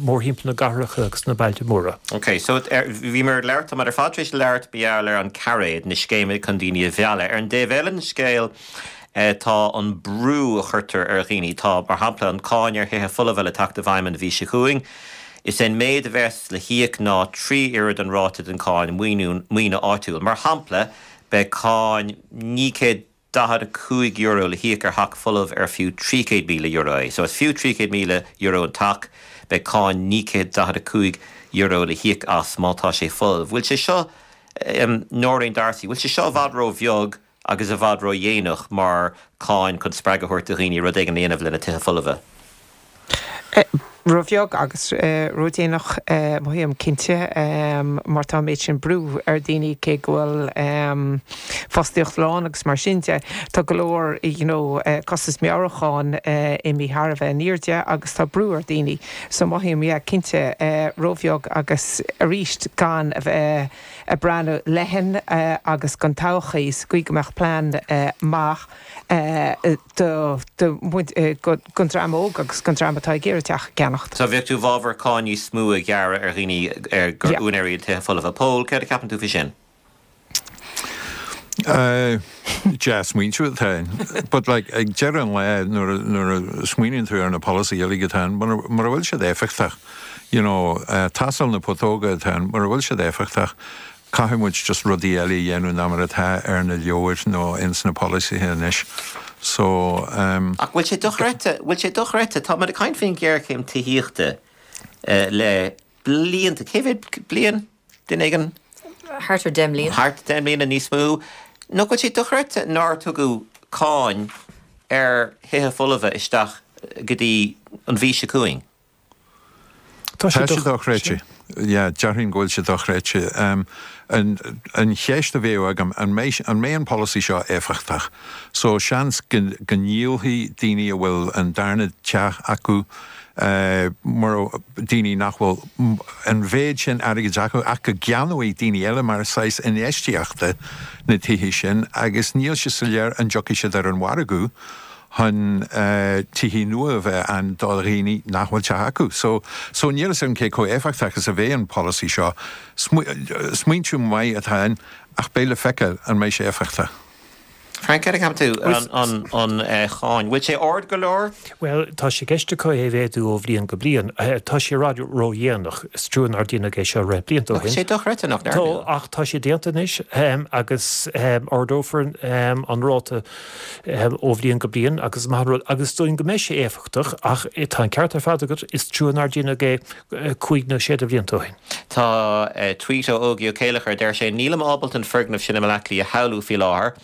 mórthimpeall na gcathracha agus na bailte móra. Ok, so bhíomar ag labhairt, táimid ar fad tar éis labhairt mar gheall ar an cairéad, na scéimeanna chun daoine a mhealladh. Ar an dtaobh eile den scéal tá an brú a chuirtear ar dhaoine. Tá, mar shampla, an cáin ar thithe folmha le teacht i bhfeidhm an mhí seo chugainn. Is é an méid a bheas le híoc ná trí oiread an ráta den cháin maoine áitiúil. Mar shampla, beidh cáin naoi gcéad daichead a cúig euro le híoc ar theach folamh ar fiú trí chéad míle euro é. So is fiú trí chéad míle euro an teach, beidh cáin naoi gcéad daichead a cúig euro le híoc as má tá sé folamh. Bhfuil sé seo, Nóirín D'Arcy, bhfuil sé seo i bhfad ró-bheag agus i bhfad ró-dhéanach mar cháin chun spreagadh a thabhairt do dhaoine rud éigin a dhéanamh lena tithe folmha? Róbheag agus ródhéanach, mothaím cinnte, mar tá an méid sin brú ar daoine cé go bhfuil fostaíocht lán agus mar sin de. Tá go leor you know costas meabhrúcháin imithe thar a bheith in airde agus tá brú ar daoine. So mothaím yeah cinnte róbheag agus arís gan a bheith ag breathnú leathan agus don todhchaí sa gcaoi go mbeadh plean maith do don dream óg agus don dream atá ag iarraidh teach a cheannacht. So bheadh tú i bhfabhar cáin níos mó a ghearradh ar dhaoine ar gur úinéirí iad tithe folmha. Pól, céard a cheapann tú faoi sin? Dea-smaointiú atá ann. But like ag deireadh an lae nuair a nuair a smaoiníonn tú ar na polasaithe uilig atá ann, mura mura bhfuil siad éifeachtach, you know, tástáil na putóga atá ann, mura bhfuil siad éifeachtach, caithfidh muid just rudaí eile a dhéanamh ná mar atá ar na leabhair nó ins na polasaithe anois. So, um. Ach bhfuil sé dochreidte, bhfuil sé dochreidte, tá muid ag caint faoin ghéarchéim tithíochta le blianta, cé mhéad bliain, duine éigin? Thart ar deich mbliana. Thart deich mbliana, níos mó. Nach bhfuil sé dochreidte nár tugadh cáin ar thithe folmha isteach go dtí an mhí seo chugainn? Tá sé dochreidte. Yeah, déarfainn go bhfuil sé dochreidte. An an cheist a bheadh agam, an mbeidh an mbeidh an polasaí seo éifeachtach? So seans go go ndíolfaidh daoine a bhfuil an darna teach acu, mura daoine nach bhfuil an mhéid sin airgid acu ach go gceannóidh daoine eile mar saghas infheistíochta na tithe sin agus níl sé soiléir an dtiocfaidh siad ar an mhargadh chun tithe nua a bheith ann do dhaoine nach bhfuil teach acu. So, so níl fhios agam cé chomh éifeachtach is a bheidh an polasaí seo. Smaointiú maith atá ann ach beidh le feiceáil an mbeidh sé éifeachtach. Frank, céard a cheapann tú an an cháin? Bhfuil sé ard go leor? Bhuel, tá sé i gceist acu é a mhéadú ó bhliain go bliain. Tá sé i bhfad ródhéanach. Is trua nár déanadh é seo roinnt blianta ó shin. Tá sé dochreidte nach ndearnadh. Tá, ach tá sé déanta anois agus ardófar an ráta ó bhliain go bliain agus is maith an rud agus is dóigh liom go mbeidh sé éifeachtach ach tá an ceart ar fad agat, is trua nár déanadh é cúig nó sé de bhlianta ó shin. Tá tweet ó Ógie Ó Céileachair, deir sé, Nílim ábalta an foirgneamh sin i mBaile Átha Cliath a shamhlú faoi láthair.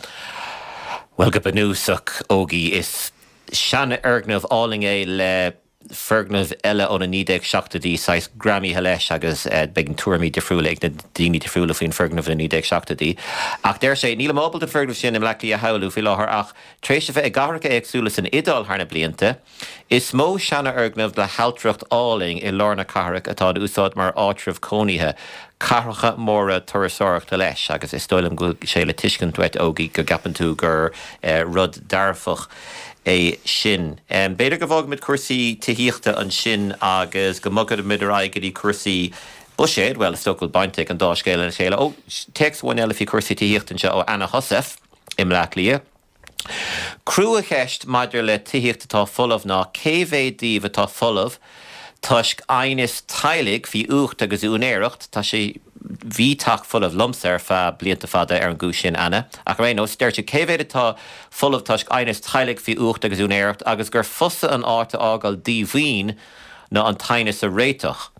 Bhuel, go bunúsach, Ógie, is seanfhoirgneamh álainn é le foirgneamh eile ó na naoi déag seachtóidí saghas greamaithe leis agus beidh tuairimí difriúla ag na daoine difriúla faoin foirgneamh na naoi déag seachtóidí. Ach deir sé, Nílim ábalta an foirgneamh sin i mBleá Cliath a shamhlú faoi láthair ach tar éis a bheith i gcathracha éagsúla san Iodáil thar na blianta, is mó seanfhoirgneamh le hailtireacht álainn i lár na cathrach atá in úsáid mar áitreabh cónaithe, cathracha móra turasóireachta leis, agus is dóigh liom go bhfuil sé le tuiscint uait, Ógie, go gceapann tú gur rud dearfach é sin. B'fhéidir go bhfágfaimid cúrsaí tithíochta ansin agus go mbogfaimid ar aghaidh go dtí cúrsaí buiséid, bhuel, is dócha go bhfuil baint ag an dá scéal lena chéile. Ó, téacs amháin eile faoi chúrsaí tithíochta anseo ó Anna Heussaff i mBleá Cliath. Cruacheist maidir le tithíocht atá folamh ná cé mhéad díobh atá folamh toisc aighneas teaghlaigh faoi uacht agus úinéireacht, tá sé, bhí teach folamh liomsa ar feadh blianta fada ar an gcúis sin, Anna, ach ar aon nós, deir tú cé mhéad atá folamh toisc aighneas teaghlaigh faoi uacht agus úinéireacht agus gur fusa an áit a fhágáil díomhaoin ná an t-aighneas a réiteach.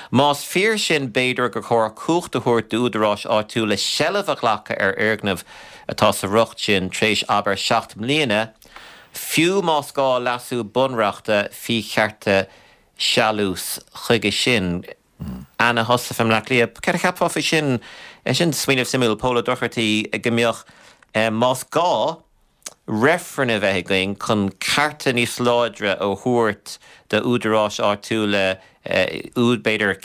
Más fíor sin b'fhéidir gur chóir cumhacht a thabhairt d'údaráis áitiúla seilbh a ghlacadh ar fhoirgneamh atá sa riocht sin tar éis abair seacht mbliana, fiú más gá leasú bunreachta faoi chearta sealús chuige sin. Anna Heussaff i mBleá Cliath, céard a cheapfá faoi sin? Sin smaoineamh suimiúil, Pól Ó Dochartaigh, go mbeadh, más gá, reifreann a bheith againn chun cearta níos láidre a thabhairt d'údaráis áitiúla, b'fhéidir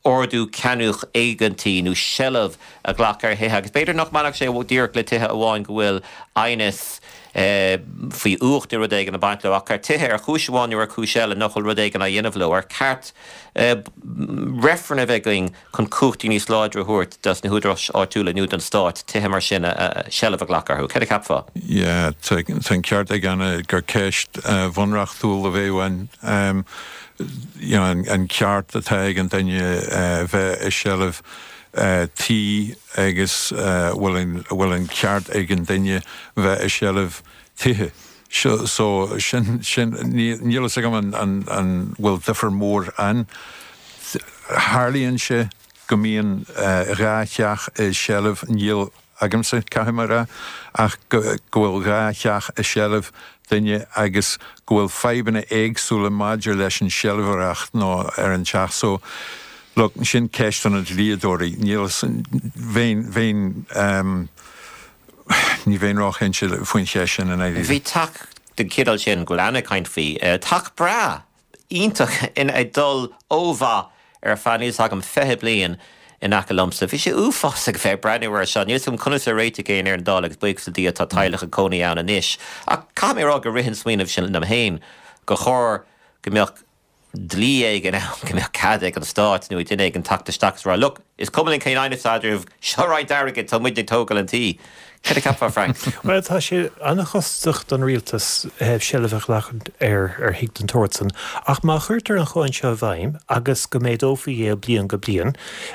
ordú ceannach éigeantaí nó seilbh a ghlacadh ar thithe agus b'fhéidir nach mbainfeadh sé díreach le tithe amháin go bhfuil aighneas faoi uacht nó rud éigin ag baint leo ach ar tithe ar chúis amháin nó ar chúis eile nach bhfuil rud éigin á dhéanamh leo. Ar cheart reifreann a bheith againn chun cumhachtaí níos láidre a thabhairt dos na húdaráis áitiúla nó don Stát tithe mar sin a seilbh a ghlacadh orthu? Céard a cheapfá? Yeah, tá an ceart ag Anna gur ceist bhunreachtúil a bheadh ann. You know, an ceart atá ag an duine bheith i seilbh tí agus bhfuil bhfuil an ceart ag an duine bheith i seilbh tithe. So sin sin níl fhios agam an an an bhfuil difear mór ann. Tarlaíonn sé go mbíonn dhá theach i seilbh, níl agamsa, caithfidh mé a rá, ach go bhfuil dhá theach i seilbh duine agus go bhfuil fadhbanna éagsúla maidir leis an seilbhóireacht nó ar an teach. So, look, sin ceist do na dlíodóirí. Níl bheinn bheinn um, ní bheinn róchinnte faoin cheist sin in Bhí teach den chineál sin go bhfuil an-chaint faoi. Teach breá iontach in ag dul ó mhaith ar feadh níl a fhios agam fiche bliain in aice liomsa. Bhí sé uafásach bheith ag breathnú air seo. Níl a fhios agam conas a réitigh é ar an dáil agus buíochas le Dia tá teaghlach ag cónaí ann anois. Ach caithfidh mé a rá gur rith an smaoineamh sin liom féin gur chóir go mbeadh dlí éigin ann go mbeadh cead ag an stát nó ag duine éigin teacht isteach is rá, look, is cuma linn cén aighneas eadraibh, seo roinnt airgid, tá muid ag tógáil an tí. Cad a cheapfá, Frank? Bhuel, tá sé an-chostasach don rialtas seilbh a ghlacadh ar ar thigh den tsórt san, ach má chuirtear an cháin seo i bhfeidhm agus go méadófaí é ó bliain go bliain,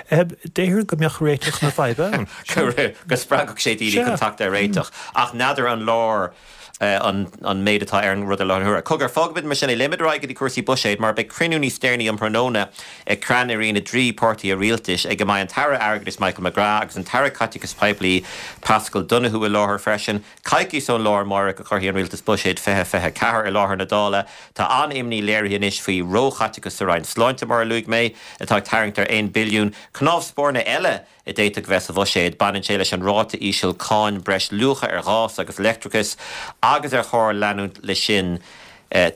déarfainn go mbeadh réiteach na faidhbe ann. Go spreagfadh sé daoine chun teacht ar réiteach. Ach n'fheadar an leor an méid atá ar an rud i láthair na huaire. Cogar, fágfaimid mar sin é. Léimfimid ar aghaidh go dtí cúrsaí buiséid mar beidh cruinniú níos deireanaí um thráthnóna ag ceannairí na dtrí páirtí rialtais ag a mbeidh an tAire Airgeadais Michael McGrath agus an tAire Caiteachais Poiblí Paschal Donohoe i láthair freisin. Coicís ón lá amárach a chuirfidh an Rialtas Buiséad fiche fiche a ceathair i láthair na Dála. Tá an-imní léirithe anois faoi róchaiteachas sa Roinn Sláinte, mar a luaigh mé, atá ag tarraingt ar aon billiún. Cnámh spairne eile a d'fhéadfadh bheith sa bhuiséad. Baineann sé leis an ráta íseal cáin breis luacha ar ghás agus leictreachas agus ar chóir leanúint leis sin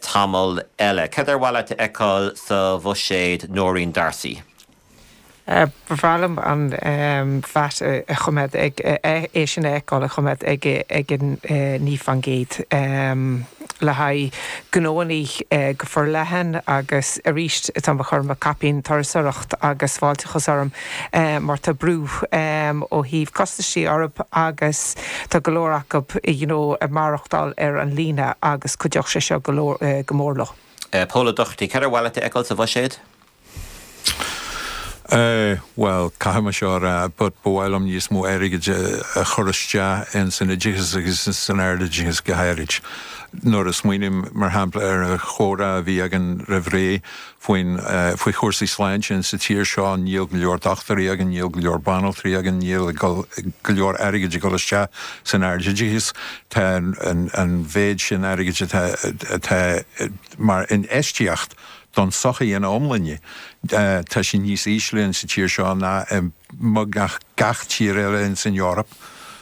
tamall eile. Cad ar mhaith leat a fheiceáil sa bhuiséad, Nóirín D'Arcy? Ba bhreá liom an VAT a choimeád ag, é sin a fheiceáil a choimeád ag ag an naoi faoin gcéad le haghaidh gnóanna go forleathan agus arís tá mé ag cur mo caipín turasóireacht agus fáilteachas orm mar tá brú ó thaobh costaisí orthu agus tá go leor acu you know ag maireachtáil ar an líne agus cuideoidh sé seo go leor go mór leo. Pól Ó Dochartaigh, cad ar mhaith leat a fheiceáil sa bhuiséad? Bhuel, caithfidh mé seo a rá, but ba mhaith liom níos mó airgid a chur isteach in san oideachas agus san ardoideachas go háirid. Nuair a smaoiním, mar shampla, ar an chomhrá a bhí againn roimh ré faoin, faoi chúrsaí sláinte in sa tír seo, níl go leor dochtúirí againn, níl go leor banaltraí againn, níl go leor airgid ag dul isteach san ardoideachas. Tá an, an mhéid sin airgid atá, atá mar infheistíocht don tsochaí ina iomláine. Tá sé níos ísle in sa tír seo ná i mbeagnach gach tír eile in san Eoraip.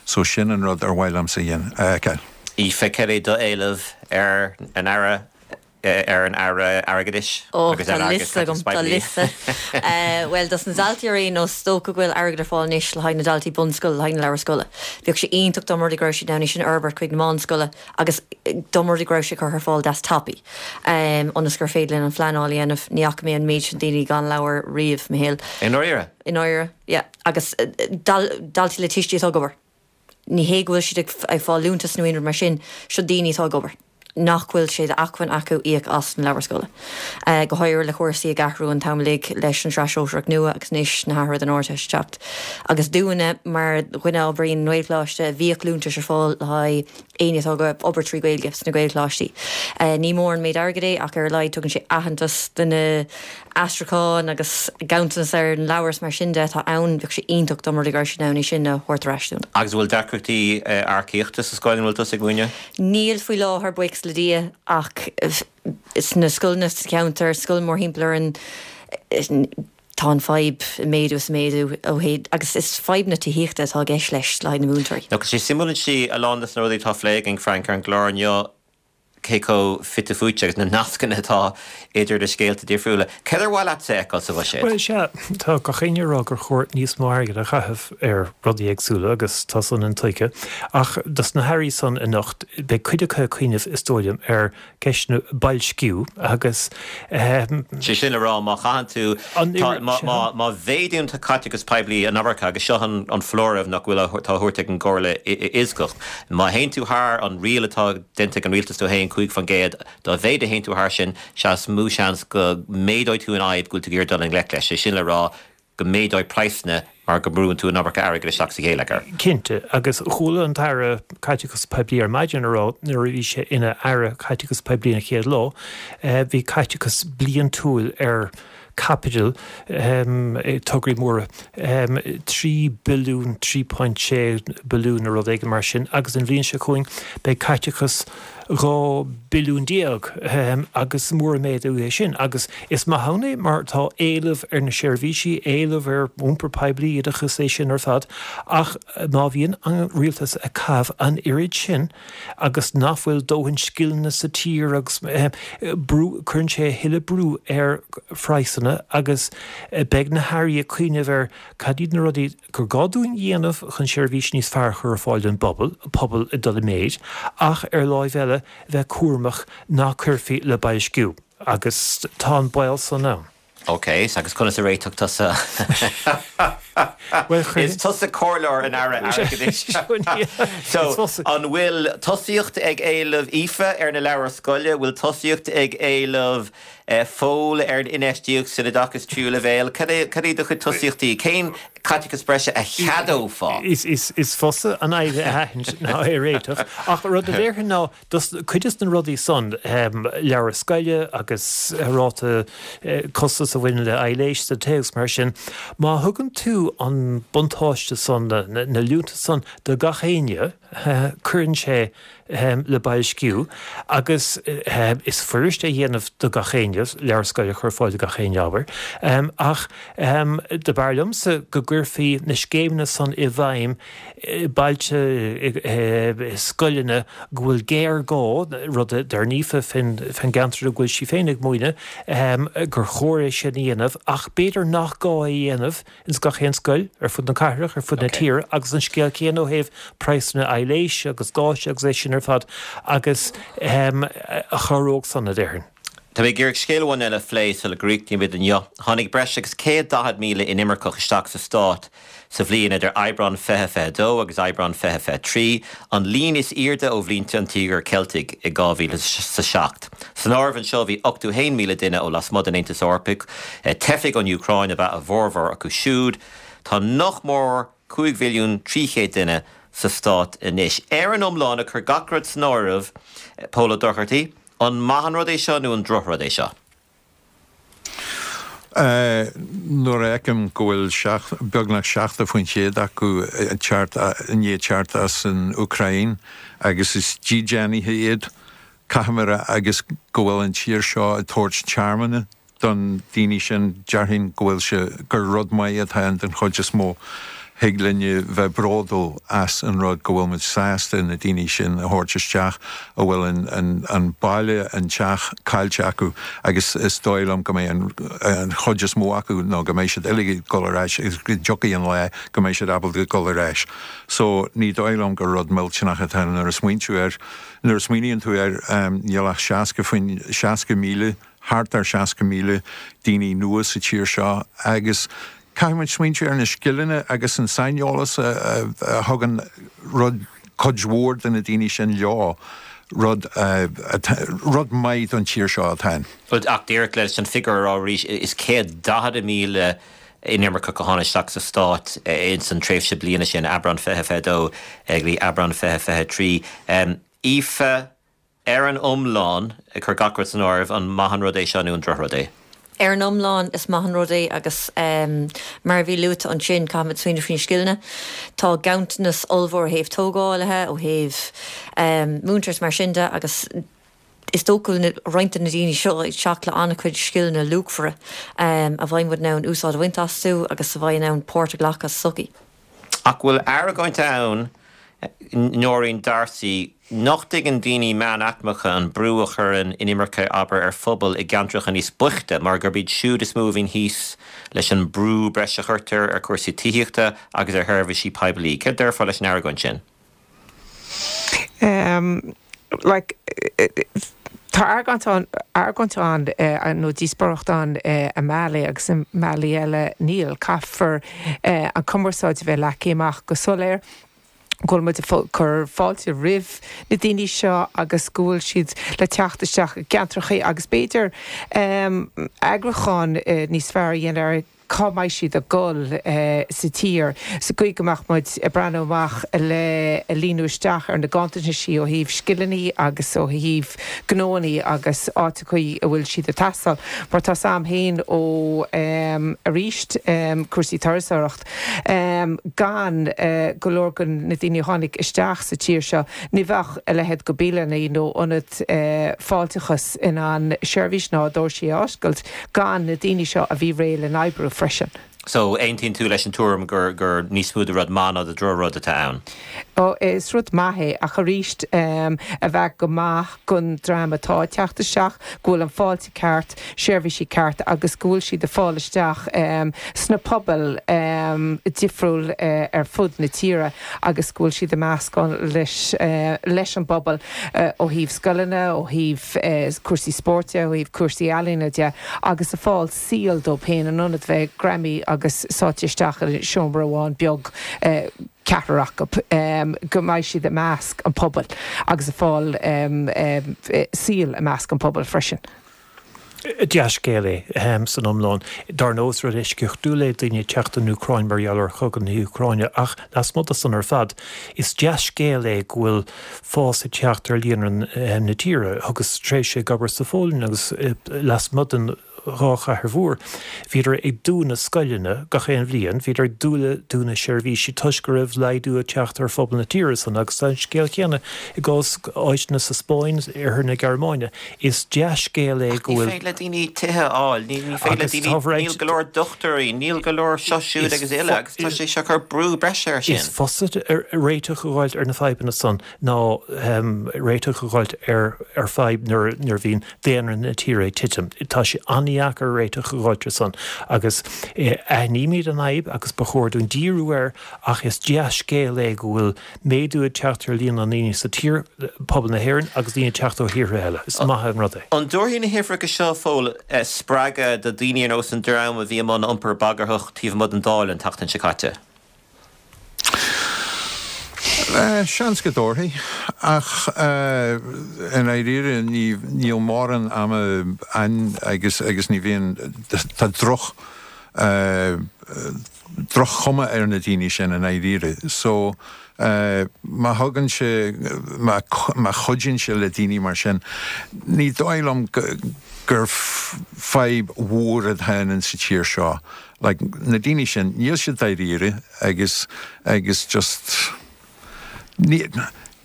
So sin an rud ar mhaith liomsa a fheiceáil. Aoife, cad é do éileamh ar an Aire ar an Aire Airgeadais Ó, tá liosta agam, tá liosta. Bhuel, dos na daltaí ar aon nós, is dócha go bhfuil airgead ar fáil anois le haghaidh na daltaí bunscoile, le haghaidh na leabhar scoile. Bheadh sé iontach dá mba rud é go raibh siad in ann é sin a fhorbairt chuig na meánscoile agus dá mba rud é go raibh sé curtha ar fáil deas tapaidh ionas gur féidir linn an phleanáil a dhéanamh. Ní fhaca mé an méid sin daoine gan leabhar riamh, mo shaol. I ndáiríre? I ndáiríre, yeah. Agus daltaí le tuistí atá ag obair. Ní hé go bhfuil siad ag fáil liúntas nó aon rud mar sin, seo daoine atá ag obair nach bhfuil sé d'acmhainn acu íoc as na leabhair scoile. Go háirithe le cúrsaí ag athrú an t-am uilig leis an tsraith shóisearach nua agus anois na hathruithe don Ardteist ag teacht. Agus dúinne, mar dhuine a oibríonn i nGaelcholáiste, bhíodh liúntais ar fáil le haghaidh éinne atá ag obair trí Ghaeilge sna Gaelcholáistí. Ní mór an méid airgid é ach ar a laghad tugann sé aitheantas do na aistriúcháin agus ganntanas ar na leabhair is mar sin de atá ann. Bheadh sé iontach dá mba rud é go raibh siad in ann é sin a thabhairt ar ais dúinn. Agus an bhfuil deacrachtaí earcaíochta sa scoil ina bhfuil tusa ag múineadh? Níl faoi láthair, buíochas le Dia, ach sna scoileanna sa cheantar, scoil mórthimpeall orainn, tá an fadhb ag méadú is ag méadú ó thaobh, agus is fadhb na tithíochta atá i gceist leis le haghaidh na múinteoirí. Tá sé suimiúil ansin a lán de na rudaí atá á phlé againn, Frank, ar an gclár inniu, cé chomh fite fuaite agus na nascanna atá idir na scéalta difriúla. Cad ar mhaith leatsa a fheiceáil sa bhuiséad? Bhuel, sea, tá gach éinne ag rá gur chóir níos mó airgid a chaitheamh ar rudaí éagsúla agus tá san intuigthe. Ach dos na hairí san anocht, beidh cuid acu ag cuimhneamh, is dóigh liom, ar ceisteanna boilsciú agus. Sé sin le rá, má chaitheann tú, tá, má mhéadaíonn tú caiteachas poiblí an iomarca, agus seo an foláireamh nach bhfuil, atá á thabhairt ag an gComhairle Fhioscach, má théann tú thar an riail atá déanta ag an rialtas dó féin, cúig faoin gcéad, dá mhéad a théann tú thar sin, sea is mó seans go méadóidh tú an fhadhb go bhfuil tú ag iarraidh dul i ngleic leis, sé sin le rá, go méadóidh praghsanna mar go mbrúann tú an iomarca airgid isteach sa gheilleagar. Cinnte, agus chuala an tAire Caiteachais Poiblí ar maidin ag rá nuair a bhí sé ina Aire Caiteachais Poiblí an chéad lá, bhí caiteachas bliantúil ar caipitil tograí móra trí billiún trí point sé billiún nó rud éigin mar sin agus an bhliain seo chugainn beidh caiteachas dhá billiún déag agus mór an méadú é sin agus is maith ann é mar tá éileamh ar na seirbhísí, éileamh ar iompar poiblí, oideachas é sin ar fad ach má bhíonn an rialtas ag caitheamh an oiread sin agus nach bhfuil dóthain scileanna sa tír agus brú, cuireann sé a thuilleadh brú ar phraghsanna agus beidh na hairí ag cuimhneamh ar cad iad na rudaí gur gá dúinn a dhéanamh chun seirbhís níos fearr a chur ar fáil don bpobal, pobal ag dul i méid, ach ar láimh eile bheith cúramach ná cuirfí le boilsciú, agus tá an baol san ann. Ok, agus conas a réiteodh tusa? Is tusa comhairleoir an Aire Airgeadais. So, an bhfuil tosaíocht ag éileamh Aoife ar na leabhair scoile? Bhfuil tosaíocht ag éileamh Phóil ar an infheistíocht san oideachas tríú leibhéal? Cad é cad é do chuid tosaíochtaí? Cén caiteachas breise a cheadófá? Is is is fusa an fhadhb a aithint ná é a réiteach. Ach rud a déarfainn ná dos cuid de na rudaí san, leabhair scoile agus ráta costas a bhaineann le aibhléis sa téacs mar sin, má thugann tú an buntáiste san, na na liúntais san do gach éinne, cuireann sé le boilsciú agus is fuirist é a dhéanamh do gach éinne, leabhar scoile a chur ar fáil do gach éinne, abair. Ach do b'fhearr liomsa go gcuirfí na scéimeanna san i bhfeidhm i bailte, i scoileanna go bhfuil géarghá, rud a deir Aoife fén gceantar a bhfuil sí féin ag múineadh, gur chóir é sin a dhéanamh ach b'fhéidir nach gá é a dhéanamh ins gach aon scoil ar fud na cathrach, ar fud na tíre agus an scéal céanna ó thaobh praghsanna aibhléise agus gáis agus é sin ar fad agus a chabhródh san, a déarfainn. Tá mé ag iarraidh scéal amháin eile a phlé sula gcríochnaímid inniu. Tháinig breis agus céad daichead míle inimirceach isteach sa stát sa bhliain idir Aibreán fiche fiche dó agus Aibreán fiche fiche trí, an líon is airde ó bhlianta an Tíogair Cheiltigh i dhá mhíle is a seacht. San áireamh anseo bhí ochtó haon míle duine ó lasmuigh den Aontas Eorpach, teifigh ón Úcráin ab ea a bhformhór acu siúd. Tá nach mór cúig mhilliún trí chéad duine sa stát anois. Ar an iomlán, ag cur gach rud san áireamh, Pól Ó Dochartaigh, an maith an rud é seo nó an drochrud é seo? Nuair a fheicim go bhfuil beagnach seachtó faoin chéad acu ag teacht, i ndiaidh teacht as an Úcráin agus is dídeánaithe iad, caithfidh mé a rá, agus go bhfuil an tír seo ag tabhairt tearmann don daoine sin, déarfainn go bhfuil sé, gur rud maith atá ann den chuid is mó. Thig linne bheith bródúil as an rud go bhfuil muid sásta na daoine sin a thabhairt isteach a bhfuil an, an baile, an teach caillte acu agus is dóigh liom go mbeidh an, an chuid is mó acu nó go mbeidh siad uilig ag dul ar ais agus go dtiocfaidh an lá go mbeidh siad ábalta dul ar ais. So ní dóigh liom gur rud millteanach atá ann nuair a smaointiú air, nuair a smaoiníonn tú air níl ach seasca faoin, seasca míle, thart ar seasca míle daoine nua sa tír seo agus caithfidh muid smaointiú ar na scileanna agus an saineolas a thugann rud cuid mhór de na daoine sin leo, rud rud maith don tír seo atá ann. Ach díreach leis an figiúr a rá arís, is céad daichead míle inimirceach a tháinig isteach sa stát ins an tréimhse bliana sin, Aibreán fiche fiche dó go dtí Aibreán fiche fiche trí. Aoife, Ar an iomlán, ag cur gach rud san áireamh, an maith an rud é seo nó an drochrud é? Ar an iomlán, is maith an rud é agus mar a bhí luaite ansin, caithfimid smaoineamh faoi na scileanna. Tá ganntanas ollmhór ó thaobh tógálaithe, ó thaobh múinteoirí is mar sin de agus is dócha go bhfuil roinnt de na daoine seo ag teacht le an-chuid scileanna luachmhara a bheidh muid in ann úsáid a bhaint astu agus a bheidh in ann páirt a ghlacadh sa tsochaí. Ach bhfuil argóint ann, Nóirín D'Arcy, nach dtuigeann daoine meánaicmeacha an brú a chuireann inimirce, abair, ar phobail i gceantracha níos boichte mar gurb iad siúd is mó a bhíonn thíos leis an brú breise a chuirtear ar chúrsaí tithíochta agus ar sheirbhísí poiblí. Céard déarfá leis an argóint sin? Like, tá argóint ann, argóint ann nó díospóireacht ann i mbealaí agus i mbealaí eile níl. Caithfear an cumarsáid a bheith leagtha amach go soiléir, go bhfuil muid ag cur fáilte roimh na daoine seo agus go bhfuil siad le teacht isteach i gceantracha agus b'fhéidir eagrúchán níos fearr a dhéanamh ar cá mbeidh siad ag dul sa tír, sa gcaoi go mbeadh muid ag breathnú amach le líonadh isteach ar na ganntanais ó thaobh scileanna agus ó thaobh gnóanna agus áiteachaí a bhfuil siad ag teastáil. Mar tá 's a'm féin ó arís cúrsaí turasóireacht gan go leor de na daoine a tháinig isteach sa tír seo, ní bheadh a leithéid de bialanna nó ionad fáilteachas in ann seirbhís ná doirsí a oscailt gan na daoine seo a bhí réidh le n-oibriú freisin. So, aontaíonn tú leis an tuairim gur gur níos mó de rud maith ná de drochrud atá ann? Ó, is rud maith é, ach arís a bheith go maith don dream atá ag teacht isteach, go bhfuil an fáilte ceart, seirbhísí ceart agus go bhfuil siad ag fáil isteach sna pobail difriúil ar fud na tíre agus go bhfuil siad ag meascán leis leis an bpobal ó thaobh scoileanna, ó thaobh cúrsaí spóirt de, ó thaobh cúrsaí ealaíne de agus ag fáil saol dóibh féin in ionad bheith greamaithe agus sáite isteach i seomra amháin beag ceathrar acu, go mbeidh siad i measc an phobail agus ag fáil saol i measc an phobail freisin. Dea-scéal é san iomlán. Dar ndóigh is rud eisceachtúil é daoine ag teacht ón Úcráin mar gheall ar chogadh na hÚcráine ach lasmuigh de san ar fad, is dea-scéal é go bhfuil fás ag teacht ar líonra na tíre. Thugas tréimhse ag obair sa Pholainn agus lasmuigh den dhá chathair mhór. Bhíodar ag dúnadh scoileanna gach aon bhliain, bhíodar ag dúnadh seirbhísí toisc go raibh laghdú ag teacht ar phobal na tíre san agus tá an scéal céanna i gcás áiteanna sa Spáinn, oirthear na Gearmáine. Is dea-scéal é go bhfuil. Ní féidir le daoine tithe a fháil, ní féidir le daoine, níl go leor dochtúirí, níl go leor seo siúd agus uile agus tá sé seo ag cur brú breise air sin. Is fusa réiteach a fháilt ar na fadhbanna san ná réiteach a fháilt ar fadhb nuair a bhíonn daonra na tíre ag titim. Tá sé an-dheacair réiteach a fháilt air san agus aithnímid an fhadhb agus ba chóir dúinn díriú air ach is dea-scéal é go bhfuil méadú ag teacht ar líon na ndaoine sa tír, pobal na hÉireann agus daoine ag teacht ó thíortha eile. Is maith an rud é. An dtabharfaidh na huimhreacha seo, a Phóil, spreagadh do dhaoine ar nós an dream a bhí i mbun iompar bagarthach taobh amuigh den Dáil an tseachtain seo caite? Seans go dtabharfaidh, ach i ndáiríre níl mórán ama ann agus agus ní bhíonn, tá droch droch-chuma ar na daoine sin i ndáiríre. So má thugann sé, má má chuidíonn sé le daoine mar sin, ní dóigh liom gur fadhb mhór atá ann sa tír seo. Like, na daoine sin, níl siad dáiríre agus agus just ní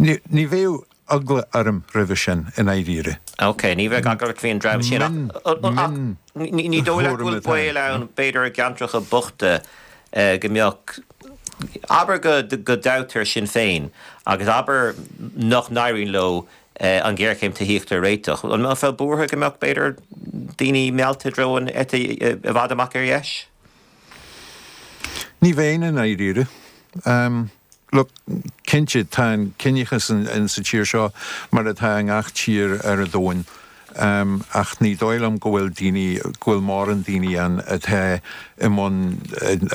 ní ní bheadh eagla orm roimhe sin i ndáiríre. Ok, ní bheadh eagla ort faoin dream sin ach ní dóigh leat go bhfuil baol ann b'fhéidir i gceantracha bochta go mbeadh, abair go go dtoghtar Sinn Féin agus abair nach n-éiríonn leo an ghéarchéim tithíochta a réiteach. An mbeifeá buartha go mbeadh, b'fhéidir, daoine meallta i dtreo an eite i bhfad amach ar dheis? Ní bheinn i ndáiríre. Look, cinnte, tá an ciníochas in sa tír seo mar atá i ngach tír ar an domhan, ach ní dóigh liom go bhfuil daoine, go bhfuil mórán daoine ann atá i mbun,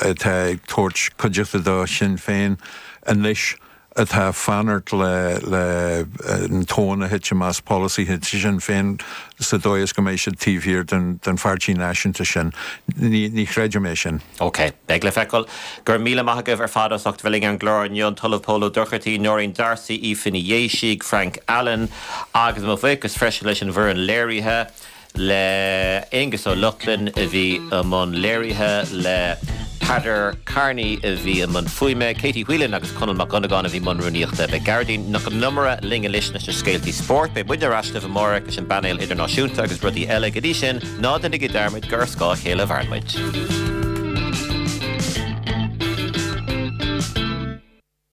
atá ag tabhairt cuideachta do Shinn Féin anois. atá ag fanacht le le an tóin a thitim as polasaithe Shinn Féin sa dóigh is go mbeidh siad taobh thiar den den pháirtí náisiúnta sin. Ní ní chreidim é sin. OK. Beidh le feiceáil. Go raibh míle maith agaibh ar fad as ucht bheith linn ar an gclár inniu, an tOllamh Pól Ó Dochartaigh, Nóirín D'Arcy, Aoife Ní Dhéisigh, Frank Allen agus mo bhuíochas freisin leis an bhfoireann léirithe. le Aonghus Ó Lochlainn a bhí i mbun léirithe, le Peadar Kearney a bhí i mbun fuaime, Katie Whelan agus Conall Mac Dhonnagáin a bhí i mbun rúnaíochta. Beidh Gearóidín Nic Con Iomaire linn anois leis na scéaltaí spóirt. Beidh muidne ar ais libh amárach leis an bpainéal idirnáisiúnta agus rudaí eile. Go dtí sin, ná déanaigí dearmad gur ar scáth a chéile a mhaireann muid.